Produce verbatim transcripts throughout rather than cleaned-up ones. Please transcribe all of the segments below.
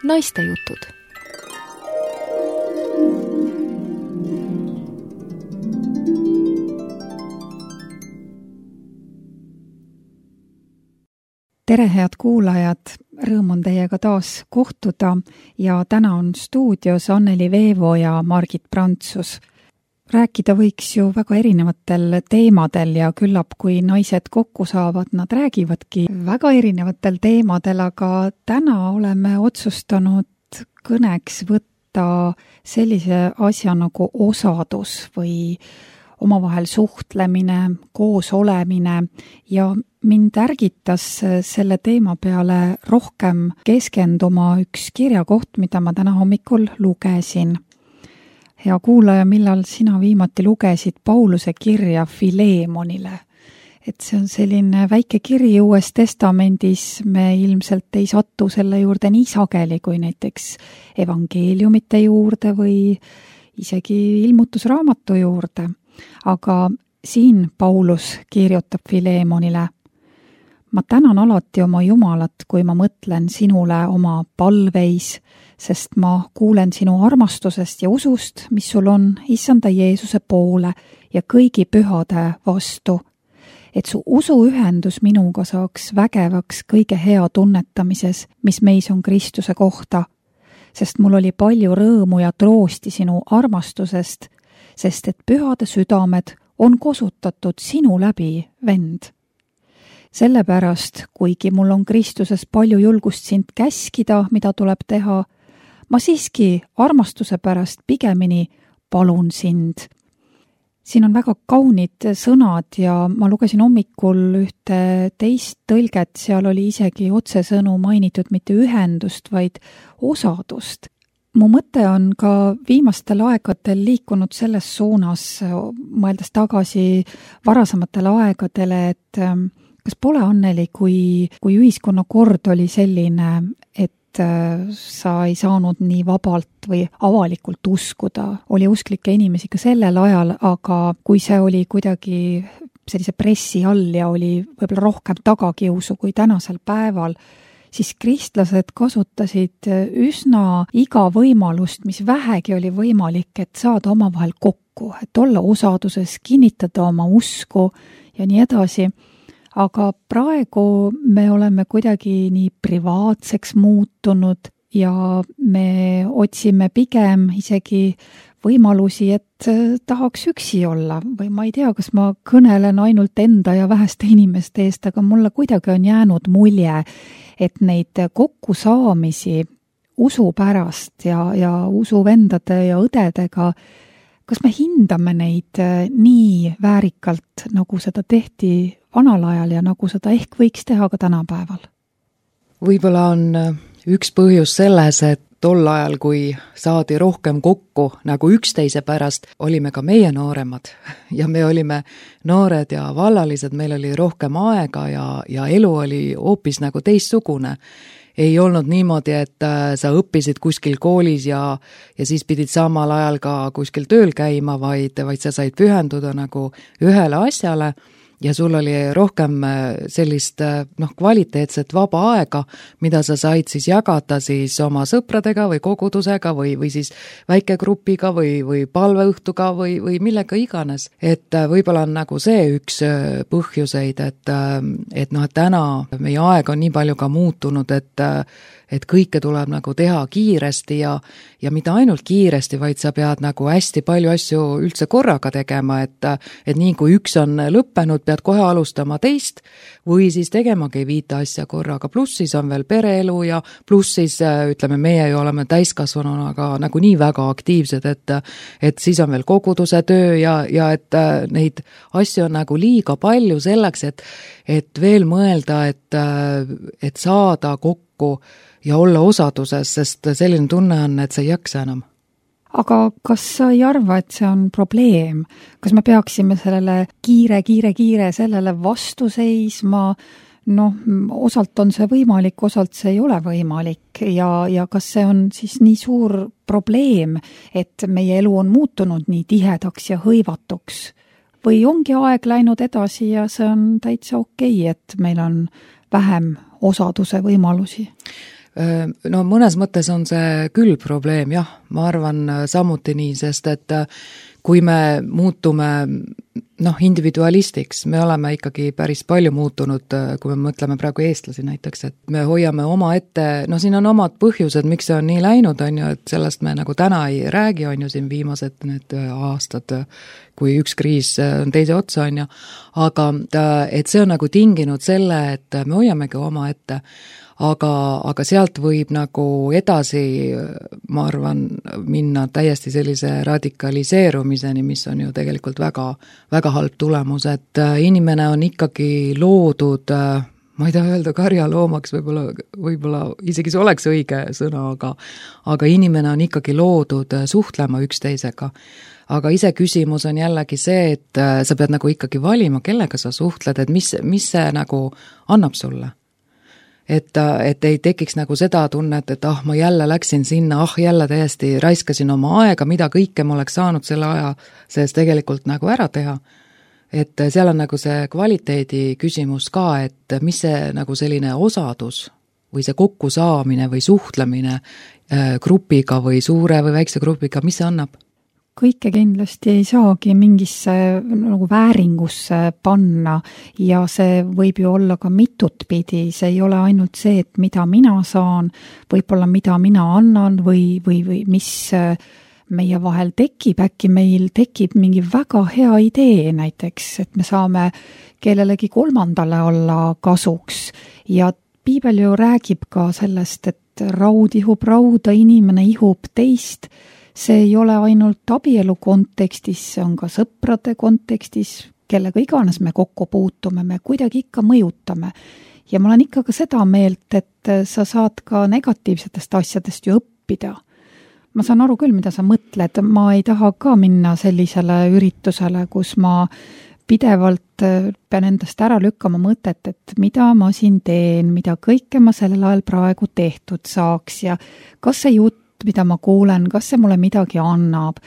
naistejutud. Tere, head kuulajad! Rõõm on teiega taas kohtuda ja täna on stuudios Anneli Veevo ja Margit Prantsus. Rääkida võiks ju väga erinevatel teemadel ja küllap, kui naised kokku saavad, nad räägivadki väga erinevatel teemadel, aga täna oleme otsustanud kõneks võtta sellise asja nagu osadus või omavahel suhtlemine, koos olemine ja mind ärgitas selle teema peale rohkem keskenduma üks kirjakoht, mida ma täna hommikul lugesin. Hea kuulaja, millal sina viimati lugesid Pauluse kirja Fileemonile? Et see on selline väike kiri Uues Testamendis, me ilmselt ei satu selle juurde nii sageli kui näiteks evangeeliumite juurde või isegi ilmutusraamatu juurde. Aga siin Paulus kirjutab Fileemonile: ma tänan alati oma Jumalat, kui ma mõtlen sinule oma palveis, sest ma kuulen sinu armastusest ja usust, mis sul on Issanda Jeesuse poole ja kõigi pühade vastu, et su usuühendus minuga saaks vägevaks kõige hea tunnetamises, mis meis on Kristuse kohta, sest mul oli palju rõõmu ja troosti sinu armastusest, sest et pühade südamed on kosutatud sinu läbi, vend. Sellepärast, kuigi mul on Kristuses palju julgust sind käskida, mida tuleb teha, ma siiski armastuse pärast pigemini palun sind. Siin on väga kaunid sõnad ja ma lugesin hommikul ühte teist tõlget, seal oli isegi otsesõnu mainitud mitte ühendust, vaid osadust. Mu mõte on ka viimastel aegadel liikunud selles suunas, mõeldes tagasi varasematele aegadele, et kas pole, Anneli, kui, kui ühiskonnakord oli selline, et sa ei saanud nii vabalt või avalikult uskuda, oli usklikke inimesi ka sellel ajal, aga kui see oli kuidagi sellise pressi all ja oli võib-olla rohkem tagakiusu kui tänasel päeval, siis kristlased kasutasid üsna iga võimalust, mis vähegi oli võimalik, et saada omavahel kokku, et olla osaduses, kinnitada oma usku ja nii edasi. Aga praegu me oleme kuidagi nii privaatseks muutunud ja me otsime pigem isegi võimalusi, et tahaks üksi olla või ma ei tea, kas ma kõnelen ainult enda ja väheste inimeste eest, aga mulle kuidagi on jäänud mulje, et neid kokkusaamisi usu pärast ja, ja usuvendade ja õdedega, kas me hindame neid nii väärikalt, nagu seda tehti vanal ajal ja nagu seda ehk võiks teha ka tänapäeval? Võib-olla on üks põhjus selles, et tol ajal, kui saadi rohkem kokku nagu üksteise pärast, olime ka meie nooremad ja me olime noored ja vallalised, meil oli rohkem aega ja, ja elu oli hoopis nagu teistsugune. Ei olnud niimoodi, et sa õppisid kuskil koolis ja, ja siis pidid samal ajal ka kuskil tööl käima, vaid, vaid sa said pühenduda nagu ühele asjale ja sul oli rohkem sellist noh, kvaliteetset vaba aega, mida sa said siis jagada siis oma sõpradega või kogudusega või, või siis väikegrupiga või, või palveõhtuga või, või millega iganes. Et võib-olla on nagu see üks põhjuseid, et, et noh, et täna meie aeg on nii palju ka muutunud, et et kõike tuleb nagu teha kiiresti ja, ja mitte ainult kiiresti, vaid sa pead nagu hästi palju asju üldse korraga tegema, et, et nii kui üks on lõppenud, pead kohe alustama teist või siis tegemagi viite asja korraga, pluss siis on veel pereelu ja pluss siis ütleme, meie ju oleme täiskasvanuna aga nagu nii väga aktiivsed, et, et siis on veel koguduse töö ja, ja et neid asju on nagu liiga palju selleks, et, et veel mõelda, et, et saada kokku ja olla osaduses, sest selline tunne on, et sa ei jaksa enam. Aga kas sa ei arva, et see on probleem? Kas me peaksime sellele kiire, kiire, kiire sellele vastu seisma? Noh, osalt on see võimalik, osalt see ei ole võimalik ja, ja kas see on siis nii suur probleem, et meie elu on muutunud nii tihedaks ja hõivatuks? Või ongi aeg läinud edasi ja see on täitsa okei, et meil on vähem osaduse võimalusi? No mõnes mõttes on see küll probleem, jah, ma arvan samuti nii, sest et kui me muutume noh, individualistiks, me oleme ikkagi päris palju muutunud, kui me mõtleme praegu eestlasi näiteks, et me hoiame oma ette, no siin on omad põhjused, miks see on nii läinud, on ju, et sellest me nagu täna ei räägi, on ju siin viimased need aastad, kui üks kriis on teise otsa, on ju, aga et see on nagu tinginud selle, et me hoiamegi oma ette, aga, aga sealt võib nagu edasi, ma arvan, minna täiesti sellise radikaliseerumiseni, mis on ju tegelikult väga, väga halb tulemus, et inimene on ikkagi loodud, ma ei taha öelda karjaloomaks, võib-olla, võib-olla isegi see oleks õige sõna, aga, aga inimene on ikkagi loodud suhtlema üksteisega. Aga ise küsimus on jällegi see, et sa pead nagu ikkagi valima, kellega sa suhtled, et mis, mis see nagu annab sulle. Et, et ei tekiks nagu seda tunnet, et ah, ma jälle läksin sinna, ah, jälle täiesti raiskasin oma aega, mida kõike ma oleks saanud selle aja sees tegelikult nagu ära teha. Et seal on nagu see kvaliteedi küsimus ka, et mis see nagu selline osadus või see kokkusaamine või suhtlemine grupiga või suure või väikse grupiga, mis see annab? Kõike kindlasti ei saagi mingisse nagu vääringusse panna ja see võib ju olla ka mitut pidi, see ei ole ainult see, et mida mina saan, võib-olla mida mina annan või, või, või mis meie vahel tekib, äkki meil tekib mingi väga hea idee näiteks, et me saame kellelegi kolmandale olla kasuks ja piibel ju räägib ka sellest, et raud ihub rauda, inimene ihub teist. See ei ole ainult abielu kontekstis, see on ka sõprade kontekstis, kellega iganes me kokku puutume, me kuidagi ikka mõjutame. Ja ma olen ikka ka seda meelt, et sa saad ka negatiivsetest asjadest ju õppida. Ma saan aru küll, mida sa mõtled, ma ei taha ka minna sellisele üritusele, kus ma pidevalt pean endast ära lükkama mõtet, et mida ma siin teen, mida kõike ma sellel ajal praegu tehtud saaks ja kas see jutt, mida ma kuulen, kas see mulle midagi annab.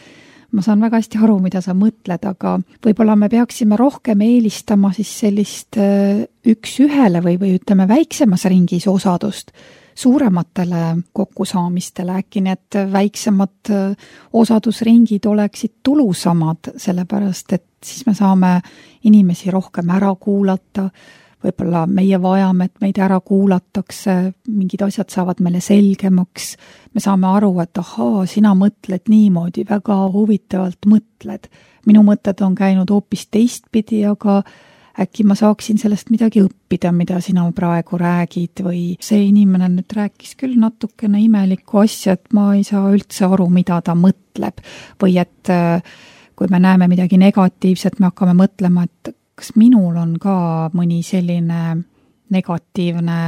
Ma saan väga hästi aru, mida sa mõtled, aga võib-olla me peaksime rohkem eelistama siis sellist üks ühele või, või ütleme väiksemas ringis osadust suurematele kokkusaamistele, äkki need väiksemad osadusringid oleksid tulusamad, sellepärast et siis me saame inimesi rohkem ära kuulata, võib-olla meie vajame, et meid ära kuulatakse, mingid asjad saavad meile selgemaks, me saame aru, et ahaa, sina mõtled niimoodi, väga huvitavalt mõtled. Minu mõtted on käinud hoopis teistpidi, aga äkki ma saaksin sellest midagi õppida, mida sina praegu räägid või see inimene nüüd rääkis küll natukene imelikku asja, et ma ei saa üldse aru, mida ta mõtleb. Või et kui me näeme midagi negatiivset, me hakkame mõtlema, et kas minul on ka mõni selline negatiivne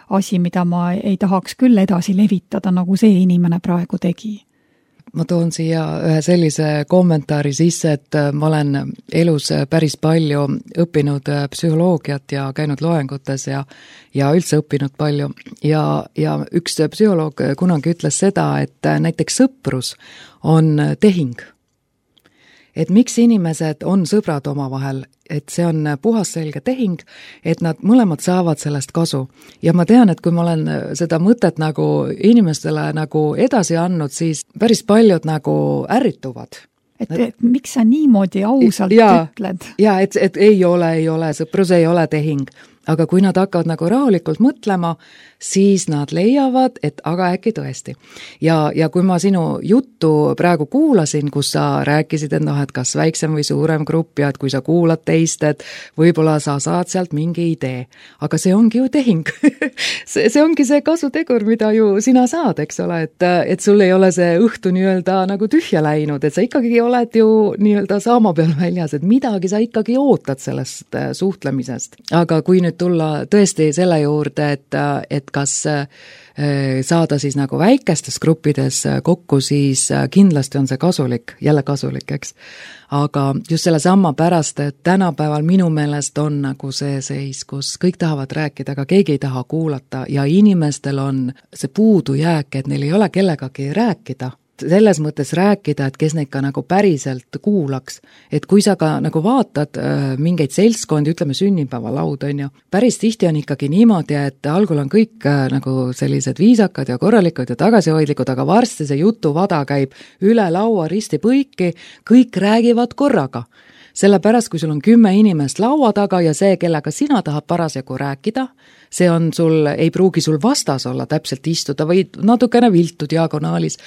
asi, mida ma ei tahaks küll edasi levitada, nagu see inimene praegu tegi? Ma toon siia ühe sellise kommentaari sisse, et ma olen elus päris palju õppinud psühholoogiat ja käinud loengutes ja, ja üldse õppinud palju. Ja, ja üks psühholoog kunagi ütles seda, et näiteks sõprus on tehing. Et miks inimesed on sõbrad omavahel, et see on puhas selge tehing, et nad mõlemad saavad sellest kasu. Ja ma tean, et kui ma olen seda mõtet nagu inimestele nagu edasi andnud, siis päris paljud nagu ärrituvad. Et, et miks sa niimoodi ausalt ja, ütled? Ja, et, et ei ole, ei ole, sõprus ei ole tehing. Aga kui nad hakkavad nagu rahulikult mõtlema, siis nad leiavad, et aga äkki tõesti. Ja, ja kui ma sinu juttu praegu kuulasin, kus sa rääkisid, et noh, et kas väiksem või suurem grupp ja et kui sa kuulad teist, et võib-olla sa saad sealt mingi idee. Aga see ongi ju tehing. see, see ongi see kasutegur, mida ju sina saad, eks ole, et, et sul ei ole see õhtu nii-öelda nagu tühja läinud, et sa ikkagi oled ju nii-öelda saama peal väljas, et midagi sa ikkagi ootad sellest suhtlemisest. Aga kui nüüd tulla tõesti selle juurde, et, et kas saada siis nagu väikestes gruppides kokku, siis kindlasti on see kasulik, jälle kasulik, eks. Aga just selle samma pärast, et tänapäeval minu meelest on nagu see seis, kus kõik tahavad rääkida, aga keegi ei taha kuulata ja inimestel on see puudujääk, et neil ei ole kellegagi rääkida. selles mõttes rääkida, et kes neid ka nagu päriselt kuulaks. Et kui sa ka nagu vaatad äh, mingeid seltskondi, ütleme sünnipäevalaud, on ju, päris tihti on ikkagi niimoodi, et algul on kõik äh, nagu sellised viisakad ja korralikud ja tagasihoidlikud, aga varsti see jutuvada käib üle laua risti põiki, kõik räägivad korraga. Sellepärast, kui sul on kümme inimest laua taga ja see, kellega sina tahad parasjagu rääkida, see on sul, ei pruugi sul vastas olla täpselt istuda või natukene viltu diagonaalis.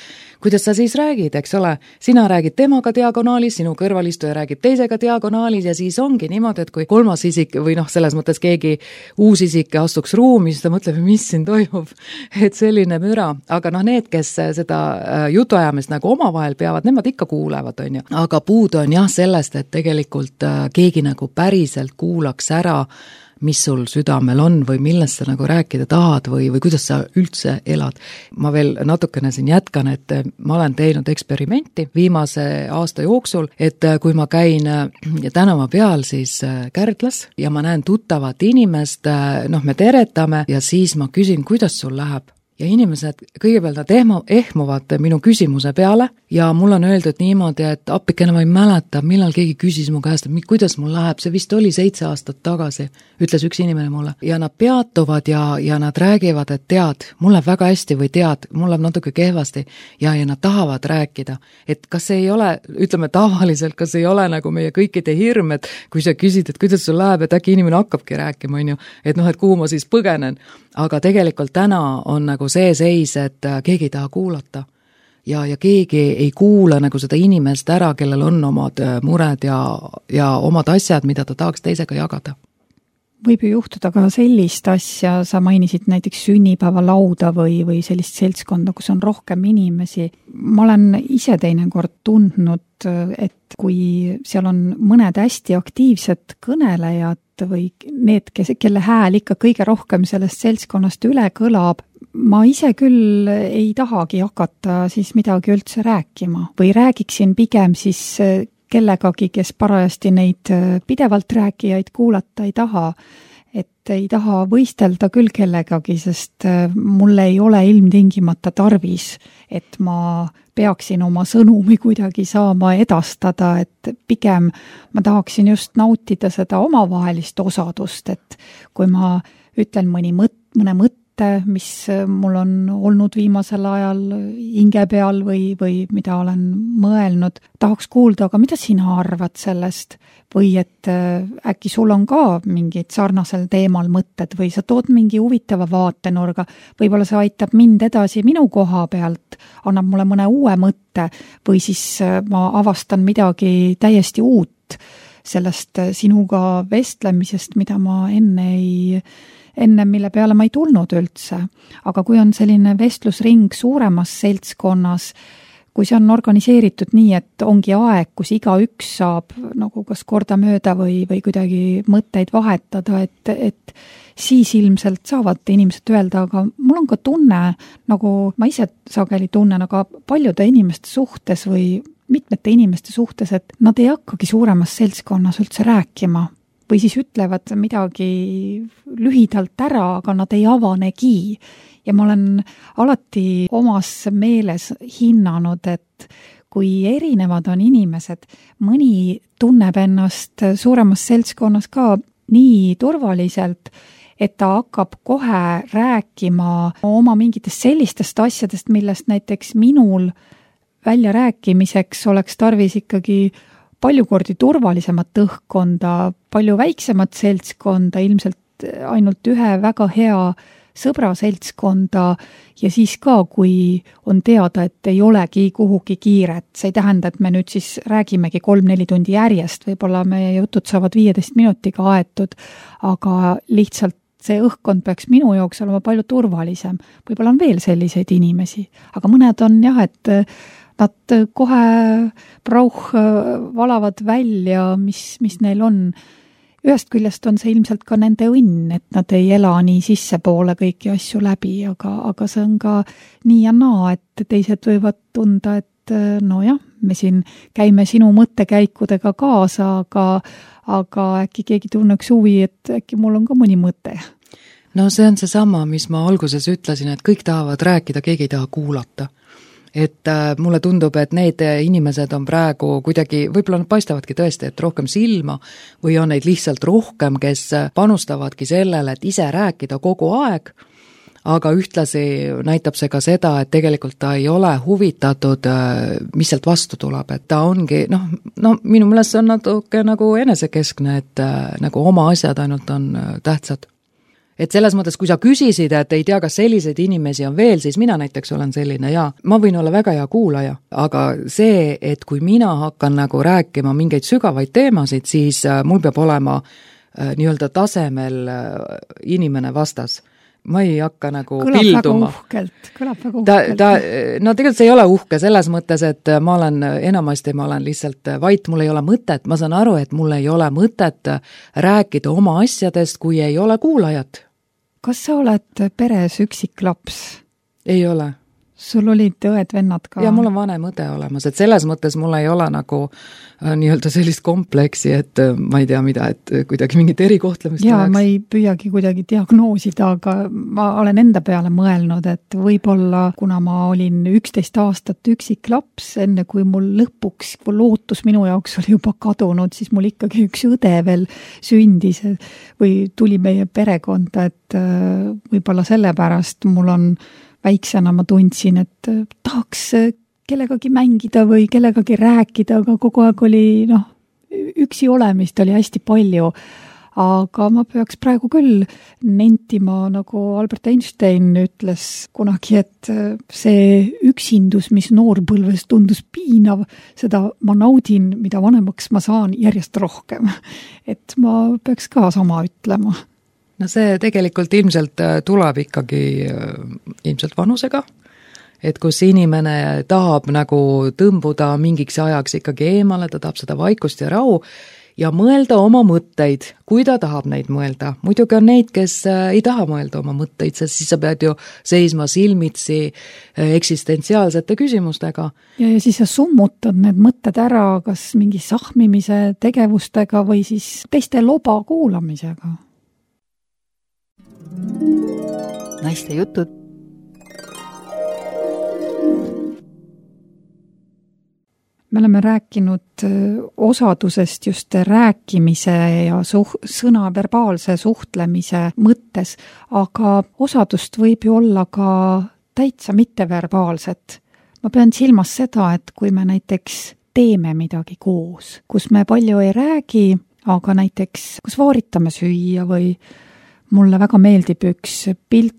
Kuidas sa siis räägid, eks ole? Sina räägid temaga diagonaalis, sinu kõrvalistuja räägib teisega diagonaalis ja siis ongi niimoodi, et kui kolmas isik või noh, selles mõttes keegi uus isik astuks ruumi, siis ta mõtleb, mis siin toimub, et selline müra. Aga noh, need, kes seda jutuajamist nagu omavahel peavad, nemad ikka kuulevad, on ju. Aga puudu on jah sellest, et tegelikult keegi nagu päriselt kuulaks ära, mis sul südamel on või millest sa nagu rääkida tahad või, või kuidas sa üldse elad. Ma veel natukene siin jätkan, et ma olen teinud eksperimenti viimase aasta jooksul, et kui ma käin tänava peal siis Kärdlas ja ma näen tuttavat inimest, noh me teretame ja siis ma küsin, kuidas sul läheb. Ja inimesed kõigepealt nad ehmu, ehmuvad minu küsimuse peale ja mul on öeldud niimoodi, et appikene ma ei mäleta, millal keegi küsis mu käest, et kuidas mul läheb, see vist oli seitse aastat tagasi, ütles üks inimene mulle. Ja nad peatuvad ja, ja nad räägivad, et tead, mul läheb väga hästi või tead, mul läheb natuke kehvasti ja, ja nad tahavad rääkida. Et kas see ei ole, ütleme tavaliselt, kas ei ole nagu meie kõikide hirm, et kui sa küsid, et kuidas sul läheb, et äkki inimene hakkabki rääkima, on ju, et noh, et kuhu ma siis põgenen. Aga tegelikult täna on nagu see seis, et keegi ei taha kuulata ja, ja keegi ei kuula nagu seda inimest ära, kellel on omad mured ja, ja omad asjad, mida ta tahaks teisega jagada. Võib ju juhtuda ka sellist asja, sa mainisid näiteks sünnipäevalauda või, või sellist seltskonda, kus on rohkem inimesi. Ma olen ise teinekord tundnud, et kui seal on mõned hästi aktiivsed kõnelejad või need, kes, kelle hääl ikka kõige rohkem sellest seltskonnast üle kõlab, ma ise küll ei tahagi hakata siis midagi üldse rääkima või räägiksin pigem siis kellegagi, kes parajasti neid pidevalt rääkijaid kuulata ei taha, et ei taha võistelda küll kellegagi, sest mul ei ole ilmtingimata tarvis, et ma peaksin oma sõnumi kuidagi saama edastada, et pigem ma tahaksin just nautida seda omavahelist osadust, et kui ma ütlen mõni mõt, mõne mõtte, mis mul on olnud viimasel ajal hinge peal või, või mida olen mõelnud, tahaks kuulda, aga mida sina arvad sellest? Või et äkki sul on ka mingid sarnasel teemal mõtted või sa tood mingi huvitava vaatenurga, võib-olla see aitab mind edasi minu koha pealt, annab mulle mõne uue mõtte või siis ma avastan midagi täiesti uut sellest sinuga vestlemisest, mida ma enne ei enne, mille peale ma ei tulnud üldse. Aga kui on selline vestlusring suuremas seltskonnas, kui see on organiseeritud nii, et ongi aeg, kus iga üks saab nagu kas korda mööda või, või kuidagi mõtteid vahetada, et, et siis ilmselt saavad inimesed öelda, aga mul on ka tunne, nagu ma ise sageli tunnen, aga paljude inimeste suhtes või mitmete inimeste suhtes, et nad ei hakkagi suuremas seltskonnas üldse rääkima. Või siis ütlevad midagi lühidalt ära, aga nad ei avanegi. Ja ma olen alati omas meeles hinnanud, et kui erinevad on inimesed, mõni tunneb ennast suuremas seltskonnas ka nii turvaliselt, et ta hakkab kohe rääkima oma mingitest sellistest asjadest, millest näiteks minul välja rääkimiseks oleks tarvis ikkagi palju kordi turvalisemat õhkkonda, palju väiksemat seltskonda, ilmselt ainult ühe väga hea sõbra seltskonda ja siis ka, kui on teada, et ei olegi kuhugi kiiret. See ei tähenda, et me nüüd siis räägimegi kolm-neli tundi järjest, võib-olla meie jutud saavad viieteist minutiga aetud, aga lihtsalt see õhkkond peaks minu jaoks olema palju turvalisem. Võib-olla on veel selliseid inimesi, aga mõned on jah, et nad kohe prauh valavad välja, mis, mis neil on. Ühest küljest on see ilmselt ka nende õnn, et nad ei ela nii sissepoole kõiki asju läbi, aga, aga see on ka nii ja naa, et teised võivad tunda, et no jah, me siin käime sinu mõttekäikudega kaasa, aga, aga äkki keegi tunneks huvi, et äkki mul on ka mõni mõte. No see on see sama, mis ma alguses ütlesin, et kõik tahavad rääkida, keegi ei taha kuulata. et mulle tundub, et need inimesed on praegu kuidagi, võib-olla nad paistavadki tõesti, et rohkem silma või on neid lihtsalt rohkem, kes panustavadki sellele, et ise rääkida kogu aeg, aga ühtlasi näitab see ka seda, et tegelikult ta ei ole huvitatud, mis sealt vastu tuleb, et ta ongi, noh, no minu meelest see on natuke nagu enesekeskne, et nagu oma asjad ainult on tähtsad. Et selles mõttes, kui sa küsisid, et ei tea, kas selliseid inimesi on veel, siis mina näiteks olen selline ja ma võin olla väga hea kuulaja, aga see, et kui mina hakkan nagu rääkima mingeid sügavaid teemasid, siis mul peab olema äh, nii-öelda tasemel äh, inimene vastas. Ma ei hakka nagu kõlab pilduma. Väga uhkelt, kõlab väga ta, uhkelt. ta, no tegelikult see ei ole uhke selles mõttes, et ma olen enamasti, ma olen lihtsalt vait, mul ei ole mõtet, ma saan aru, et mul ei ole mõtet rääkida oma asjadest, kui ei ole kuulajat. Kas sa oled peres üksik laps? Ei ole. Sul olid õed-vennad ka? Ja mul on vanem õde olemas, et selles mõttes mul ei ole nagu äh, nii-öelda sellist kompleksi, et äh, ma ei tea mida, et äh, kuidagi mingit erikohtlemist jaa, ma ei püüagi kuidagi diagnoosida, aga ma olen enda peale mõelnud, et võib-olla, kuna ma olin üksteist aastat üksik laps, enne kui mul lõpuks lootus minu jaoks oli juba kadunud, siis mul ikkagi üks õde veel sündis või tuli meie perekonda, et äh, võib-olla sellepärast mul on väiksena ma tundsin, et tahaks kellegagi mängida või kellegagi rääkida, aga kogu aeg oli, noh, üksi olemist oli hästi palju. Aga ma peaks praegu küll nentima, nagu Albert Einstein ütles kunagi, et see üksindus, mis noorpõlves tundus piinav, seda ma naudin, mida vanemaks ma saan järjest rohkem. Et ma peaks ka sama ütlema. No see tegelikult ilmselt tuleb ikkagi ilmselt vanusega, et kus inimene tahab nagu tõmbuda mingiks ajaks ikkagi eemale, ta tahab seda vaikust ja rahu ja mõelda oma mõtteid, kui ta tahab neid mõelda. Muidugi on neid, kes ei taha mõelda oma mõtteid, sest siis sa pead ju seisma silmitsi eksistentsiaalsete küsimustega. Ja, ja siis sa summutad need mõtted ära kas mingi sahmimise tegevustega või siis teiste loba kuulamisega. Naiste jutud. Me oleme rääkinud osadusest just rääkimise ja suh- sõna verbaalse suhtlemise mõttes, aga osadust võib ju olla ka täitsa mitteverbaalset. Ma pean silmas seda, et kui me näiteks teeme midagi koos, kus me palju ei räägi, aga näiteks kus vaaritame süüa või mulle väga meeldib üks pilt,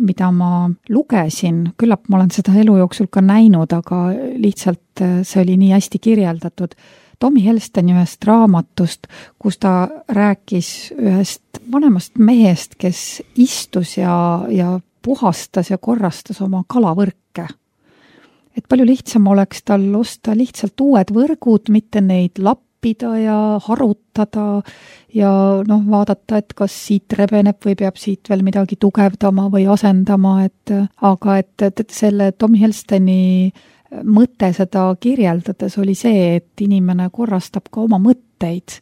mida ma lugesin, küllap ma olen seda elu jooksul ka näinud, aga lihtsalt see oli nii hästi kirjeldatud. Tommy Helsteni ühest raamatust, kus ta rääkis ühest vanemast mehest, kes istus ja, ja puhastas ja korrastas oma kalavõrke. Et palju lihtsam oleks tal osta lihtsalt uued võrgud, mitte neid lappida ja harutada ja noh, vaadata, et kas siit rebeneb või peab siit veel midagi tugevdama või asendama, et aga et, et selle Tommy Helsteni mõte seda kirjeldades oli see, et inimene korrastab ka oma mõtteid.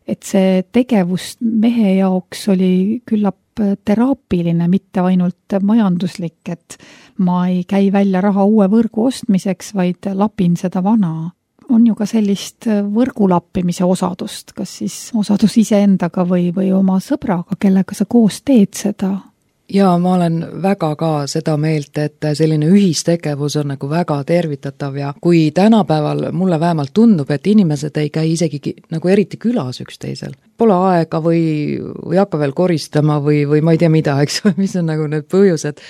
Et see tegevus mehe jaoks oli küllap teraapiline, mitte ainult majanduslik, et ma ei käi välja raha uue võrgu ostmiseks, vaid lapin seda vana. On ju ka sellist võrgulappimise osadust, kas siis osadus iseendaga või, või oma sõbraga, kellega sa koos teed seda? Ja ma olen väga ka seda meelt, et selline ühistegevus on nagu väga tervitatav ja kui tänapäeval mulle vähemalt tundub, et inimesed ei käi isegi nagu eriti külas üksteisel. Pole aega või, või hakka veel koristama või, või ma ei tea mida, eks, mis on nagu need põhjused.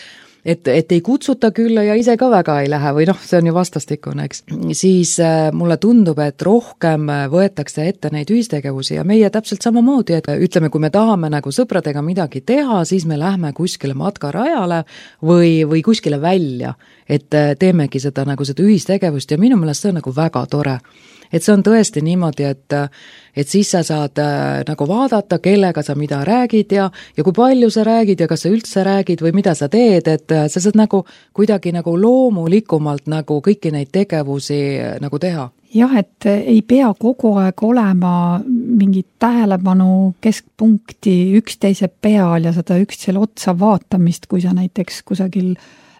Et, et ei kutsuta külla ja ise ka väga ei lähe või noh, see on ju vastastikune, eks. Siis äh, mulle tundub, et rohkem võetakse ette neid ühistegevusi ja meie täpselt samamoodi, et ütleme, kui me tahame nagu sõpradega midagi teha, siis me lähme kuskile matkarajale või, või kuskile välja, et teemegi seda nagu seda ühistegevust ja minu meelest see on nagu väga tore. Et see on tõesti niimoodi, et, et siis sa saad äh, nagu vaadata, kellega sa mida räägid ja, ja kui palju sa räägid ja kas sa üldse räägid või mida sa teed, et äh, sa saad nagu kuidagi nagu loomulikumalt nagu kõiki neid tegevusi äh, nagu teha. Jah, et ei pea kogu aeg olema mingit tähelepanu keskpunkti üksteise peal ja seda üksteisele otsa vaatamist, kui sa näiteks kusagil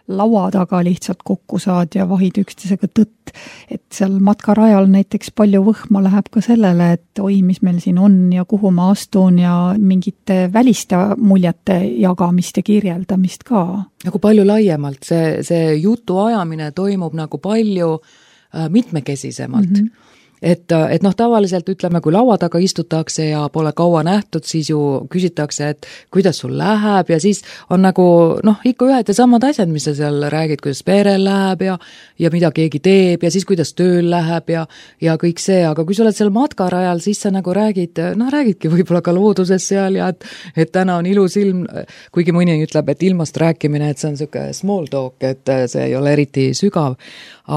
laua taga lihtsalt kokku saad ja vahid üksteisega tõtt. Et seal matkarajal näiteks palju võhma läheb ka sellele, et oi, mis meil siin on ja kuhu ma astun ja mingite väliste muljete jagamist ja kirjeldamist ka. Nagu palju laiemalt, see, see jutu ajamine toimub nagu palju äh, mitmekesisemalt. Mm-hmm. Et, et noh, tavaliselt ütleme, kui laua taga istutakse ja pole kaua nähtud, siis ju küsitakse, et kuidas sul läheb ja siis on nagu noh, ikka ühed ja samad asjad, mis sa seal räägid, kuidas perel läheb ja, ja mida keegi teeb ja siis kuidas tööl läheb ja, ja kõik see, aga kui sa oled seal matkarajal, siis sa nagu räägid, noh, räägidki võib-olla ka looduses seal ja et, et täna on ilus ilm, kuigi mõni ütleb, et ilmast rääkimine, et see on siuke small talk, et see ei ole eriti sügav,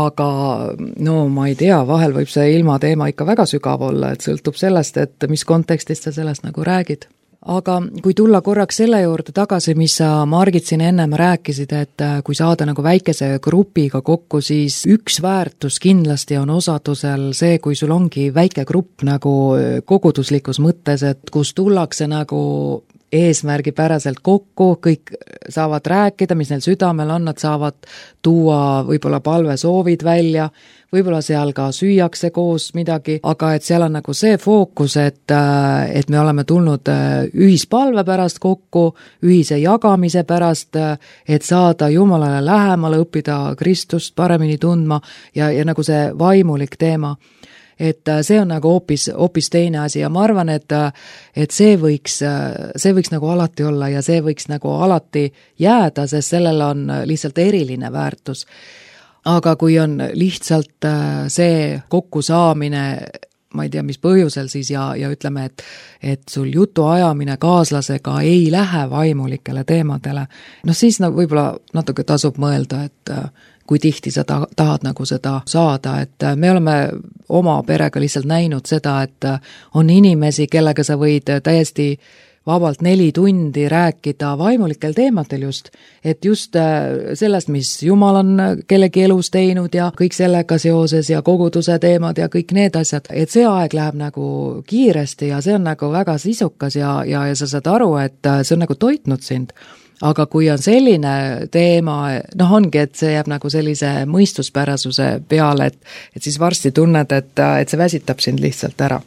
aga no ma ei tea, vahel võib see ilma teema ikka väga sügav olla, et sõltub sellest, et mis kontekstist sa sellest nagu räägid. Aga kui tulla korraks selle juurde tagasi, mis sa Margit siin ennem rääkisid, et kui saada nagu väikese grupiga kokku, siis üks väärtus kindlasti on osadusel see, kui sul ongi väike grupp nagu koguduslikus mõttes, et kus tullakse nagu eesmärgipäraselt kokku, kõik saavad rääkida, mis neil südamel on, nad saavad tuua võib-olla palvesoovid välja, võib-olla seal ka süüakse koos midagi, aga et seal on nagu see fookus, et, et me oleme tulnud ühispalve pärast kokku, ühise jagamise pärast, et saada Jumalale lähemale, õppida Kristust paremini tundma ja, ja nagu see vaimulik teema. Et see on nagu hoopis, hoopis teine asi ja ma arvan, et, et see võiks, see võiks nagu alati olla ja see võiks nagu alati jääda, sest sellel on lihtsalt eriline väärtus. Aga kui on lihtsalt see kokkusaamine, ma ei tea, mis põhjusel siis ja, ja ütleme, et, et sul jutu ajamine kaaslasega ei lähe vaimulikele teemadele, no siis nagu võib-olla natuke tasub mõelda, et kui tihti sa ta, tahad nagu seda saada, et me oleme oma perega lihtsalt näinud seda, et on inimesi, kellega sa võid täiesti vabalt neli tundi rääkida vaimulikel teemadel just, et just sellest, mis Jumal on kellegi elus teinud ja kõik sellega seoses ja koguduse teemad ja kõik need asjad, et see aeg läheb nagu kiiresti ja see on nagu väga sisukas ja, ja, ja sa saad aru, et see on nagu toitnud sind. Aga kui on selline teema, noh ongi, et see jääb nagu sellise mõistuspärasuse peale, et, et siis varsti tunned, et, et see väsitab sind lihtsalt ära.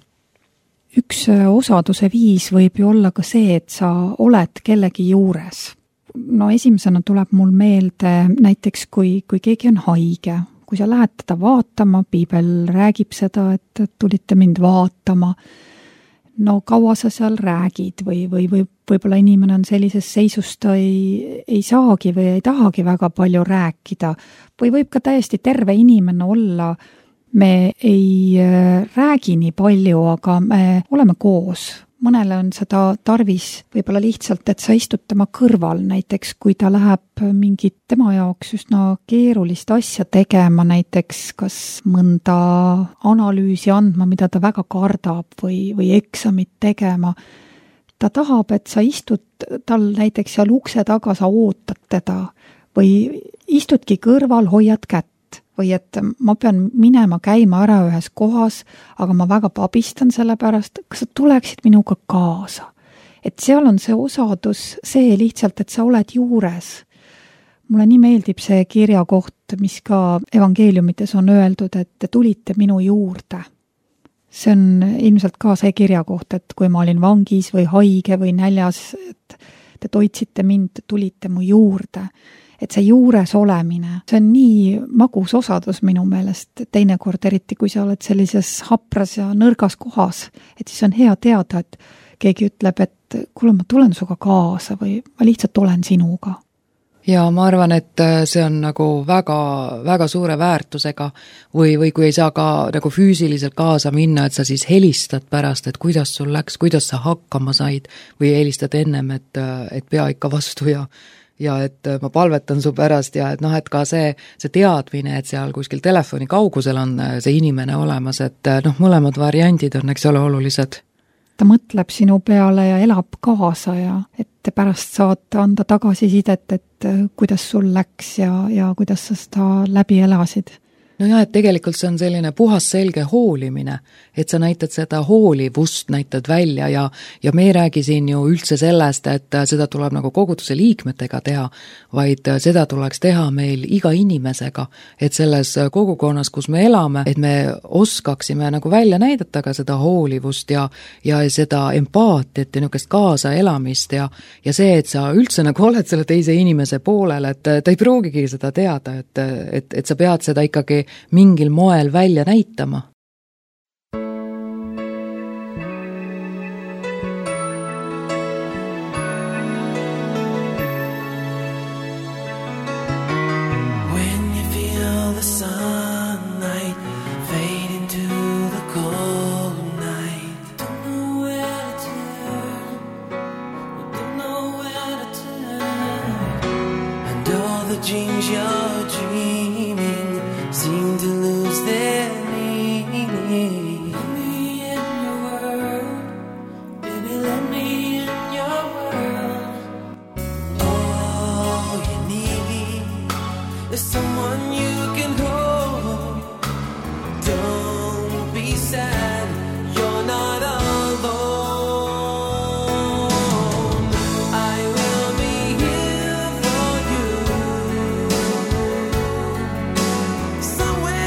Üks osaduse viis võib ju olla ka see, et sa oled kellegi juures. No esimesena tuleb mul meelde näiteks, kui, kui keegi on haige, kui sa lähed teda vaatama, piibel räägib seda, et tulite mind vaatama, no kaua sa seal räägid või, või, või võib-olla inimene on sellises seisus, ta ei, ei saagi või ei tahagi väga palju rääkida või võib ka täiesti terve inimene olla, me ei räägi nii palju, aga me oleme koos. Mõnele on seda tarvis võib-olla lihtsalt, et sa istud tema kõrval, näiteks kui ta läheb mingit tema jaoks üsna keerulist asja tegema, näiteks kas mõnda analüüsi andma, mida ta väga kardab või, või eksamit tegema. Ta tahab, et sa istud tal näiteks seal ukse taga, sa ootad teda või istudki kõrval, hoiad kätt. Või et ma pean minema käima ära ühes kohas, aga ma väga pabistan selle pärast, kas sa tuleksid minuga kaasa. Et seal on see osadus, see lihtsalt, et sa oled juures. Mulle nii meeldib see kirjakoht, mis ka evangeeliumites on öeldud, et te tulite minu juurde. See on ilmselt ka see kirjakoht, et kui ma olin vangis või haige või näljas, et te toitsite mind, tulite mu juurde. Et see juures olemine, see on nii magus osadus minu meelest, teinekord eriti, kui sa oled sellises hapras ja nõrgas kohas, et siis on hea teada, et keegi ütleb, et kuule, ma tulen suga kaasa või ma lihtsalt olen sinuga. Ja ma arvan, et see on nagu väga, väga suure väärtusega või, või kui ei saa ka nagu füüsiliselt kaasa minna, et sa siis helistad pärast, et kuidas sul läks, kuidas sa hakkama said või helistad ennem, et, et pea ikka vastu ja ja et ma palvetan su pärast ja et noh, et ka see, see teadmine, et seal kuskil telefoni kaugusel on see inimene olemas, et noh, mõlemad variandid on, eks ole, olulised. Ta mõtleb sinu peale ja elab kaasa ja et pärast saad anda tagasisidet, et kuidas sul läks ja, ja kuidas sa seda läbi elasid. no jah, et tegelikult see on selline puhas selge hoolimine, et sa näitad seda hoolivust, näitad välja ja, ja me ei räägi siin ju üldse sellest, et seda tuleb nagu koguduse liikmetega teha, vaid seda tuleks teha meil iga inimesega, et selles kogukonnas, kus me elame, et me oskaksime nagu välja näidata ka seda hoolivust ja, ja seda empaatiat ja niisugust kaasaelamist ja, ja see, et sa üldse nagu oled selle teise inimese poolel, et ta ei pruugigi seda teada, et, et, et sa pead seda ikkagi mingil moel välja näitama. Dreams you're dreaming seem to lose their meaning. Let me in your world, baby, let me in your world. All you need is someone you can hold. Don't be sad, you're not alone. Somewhere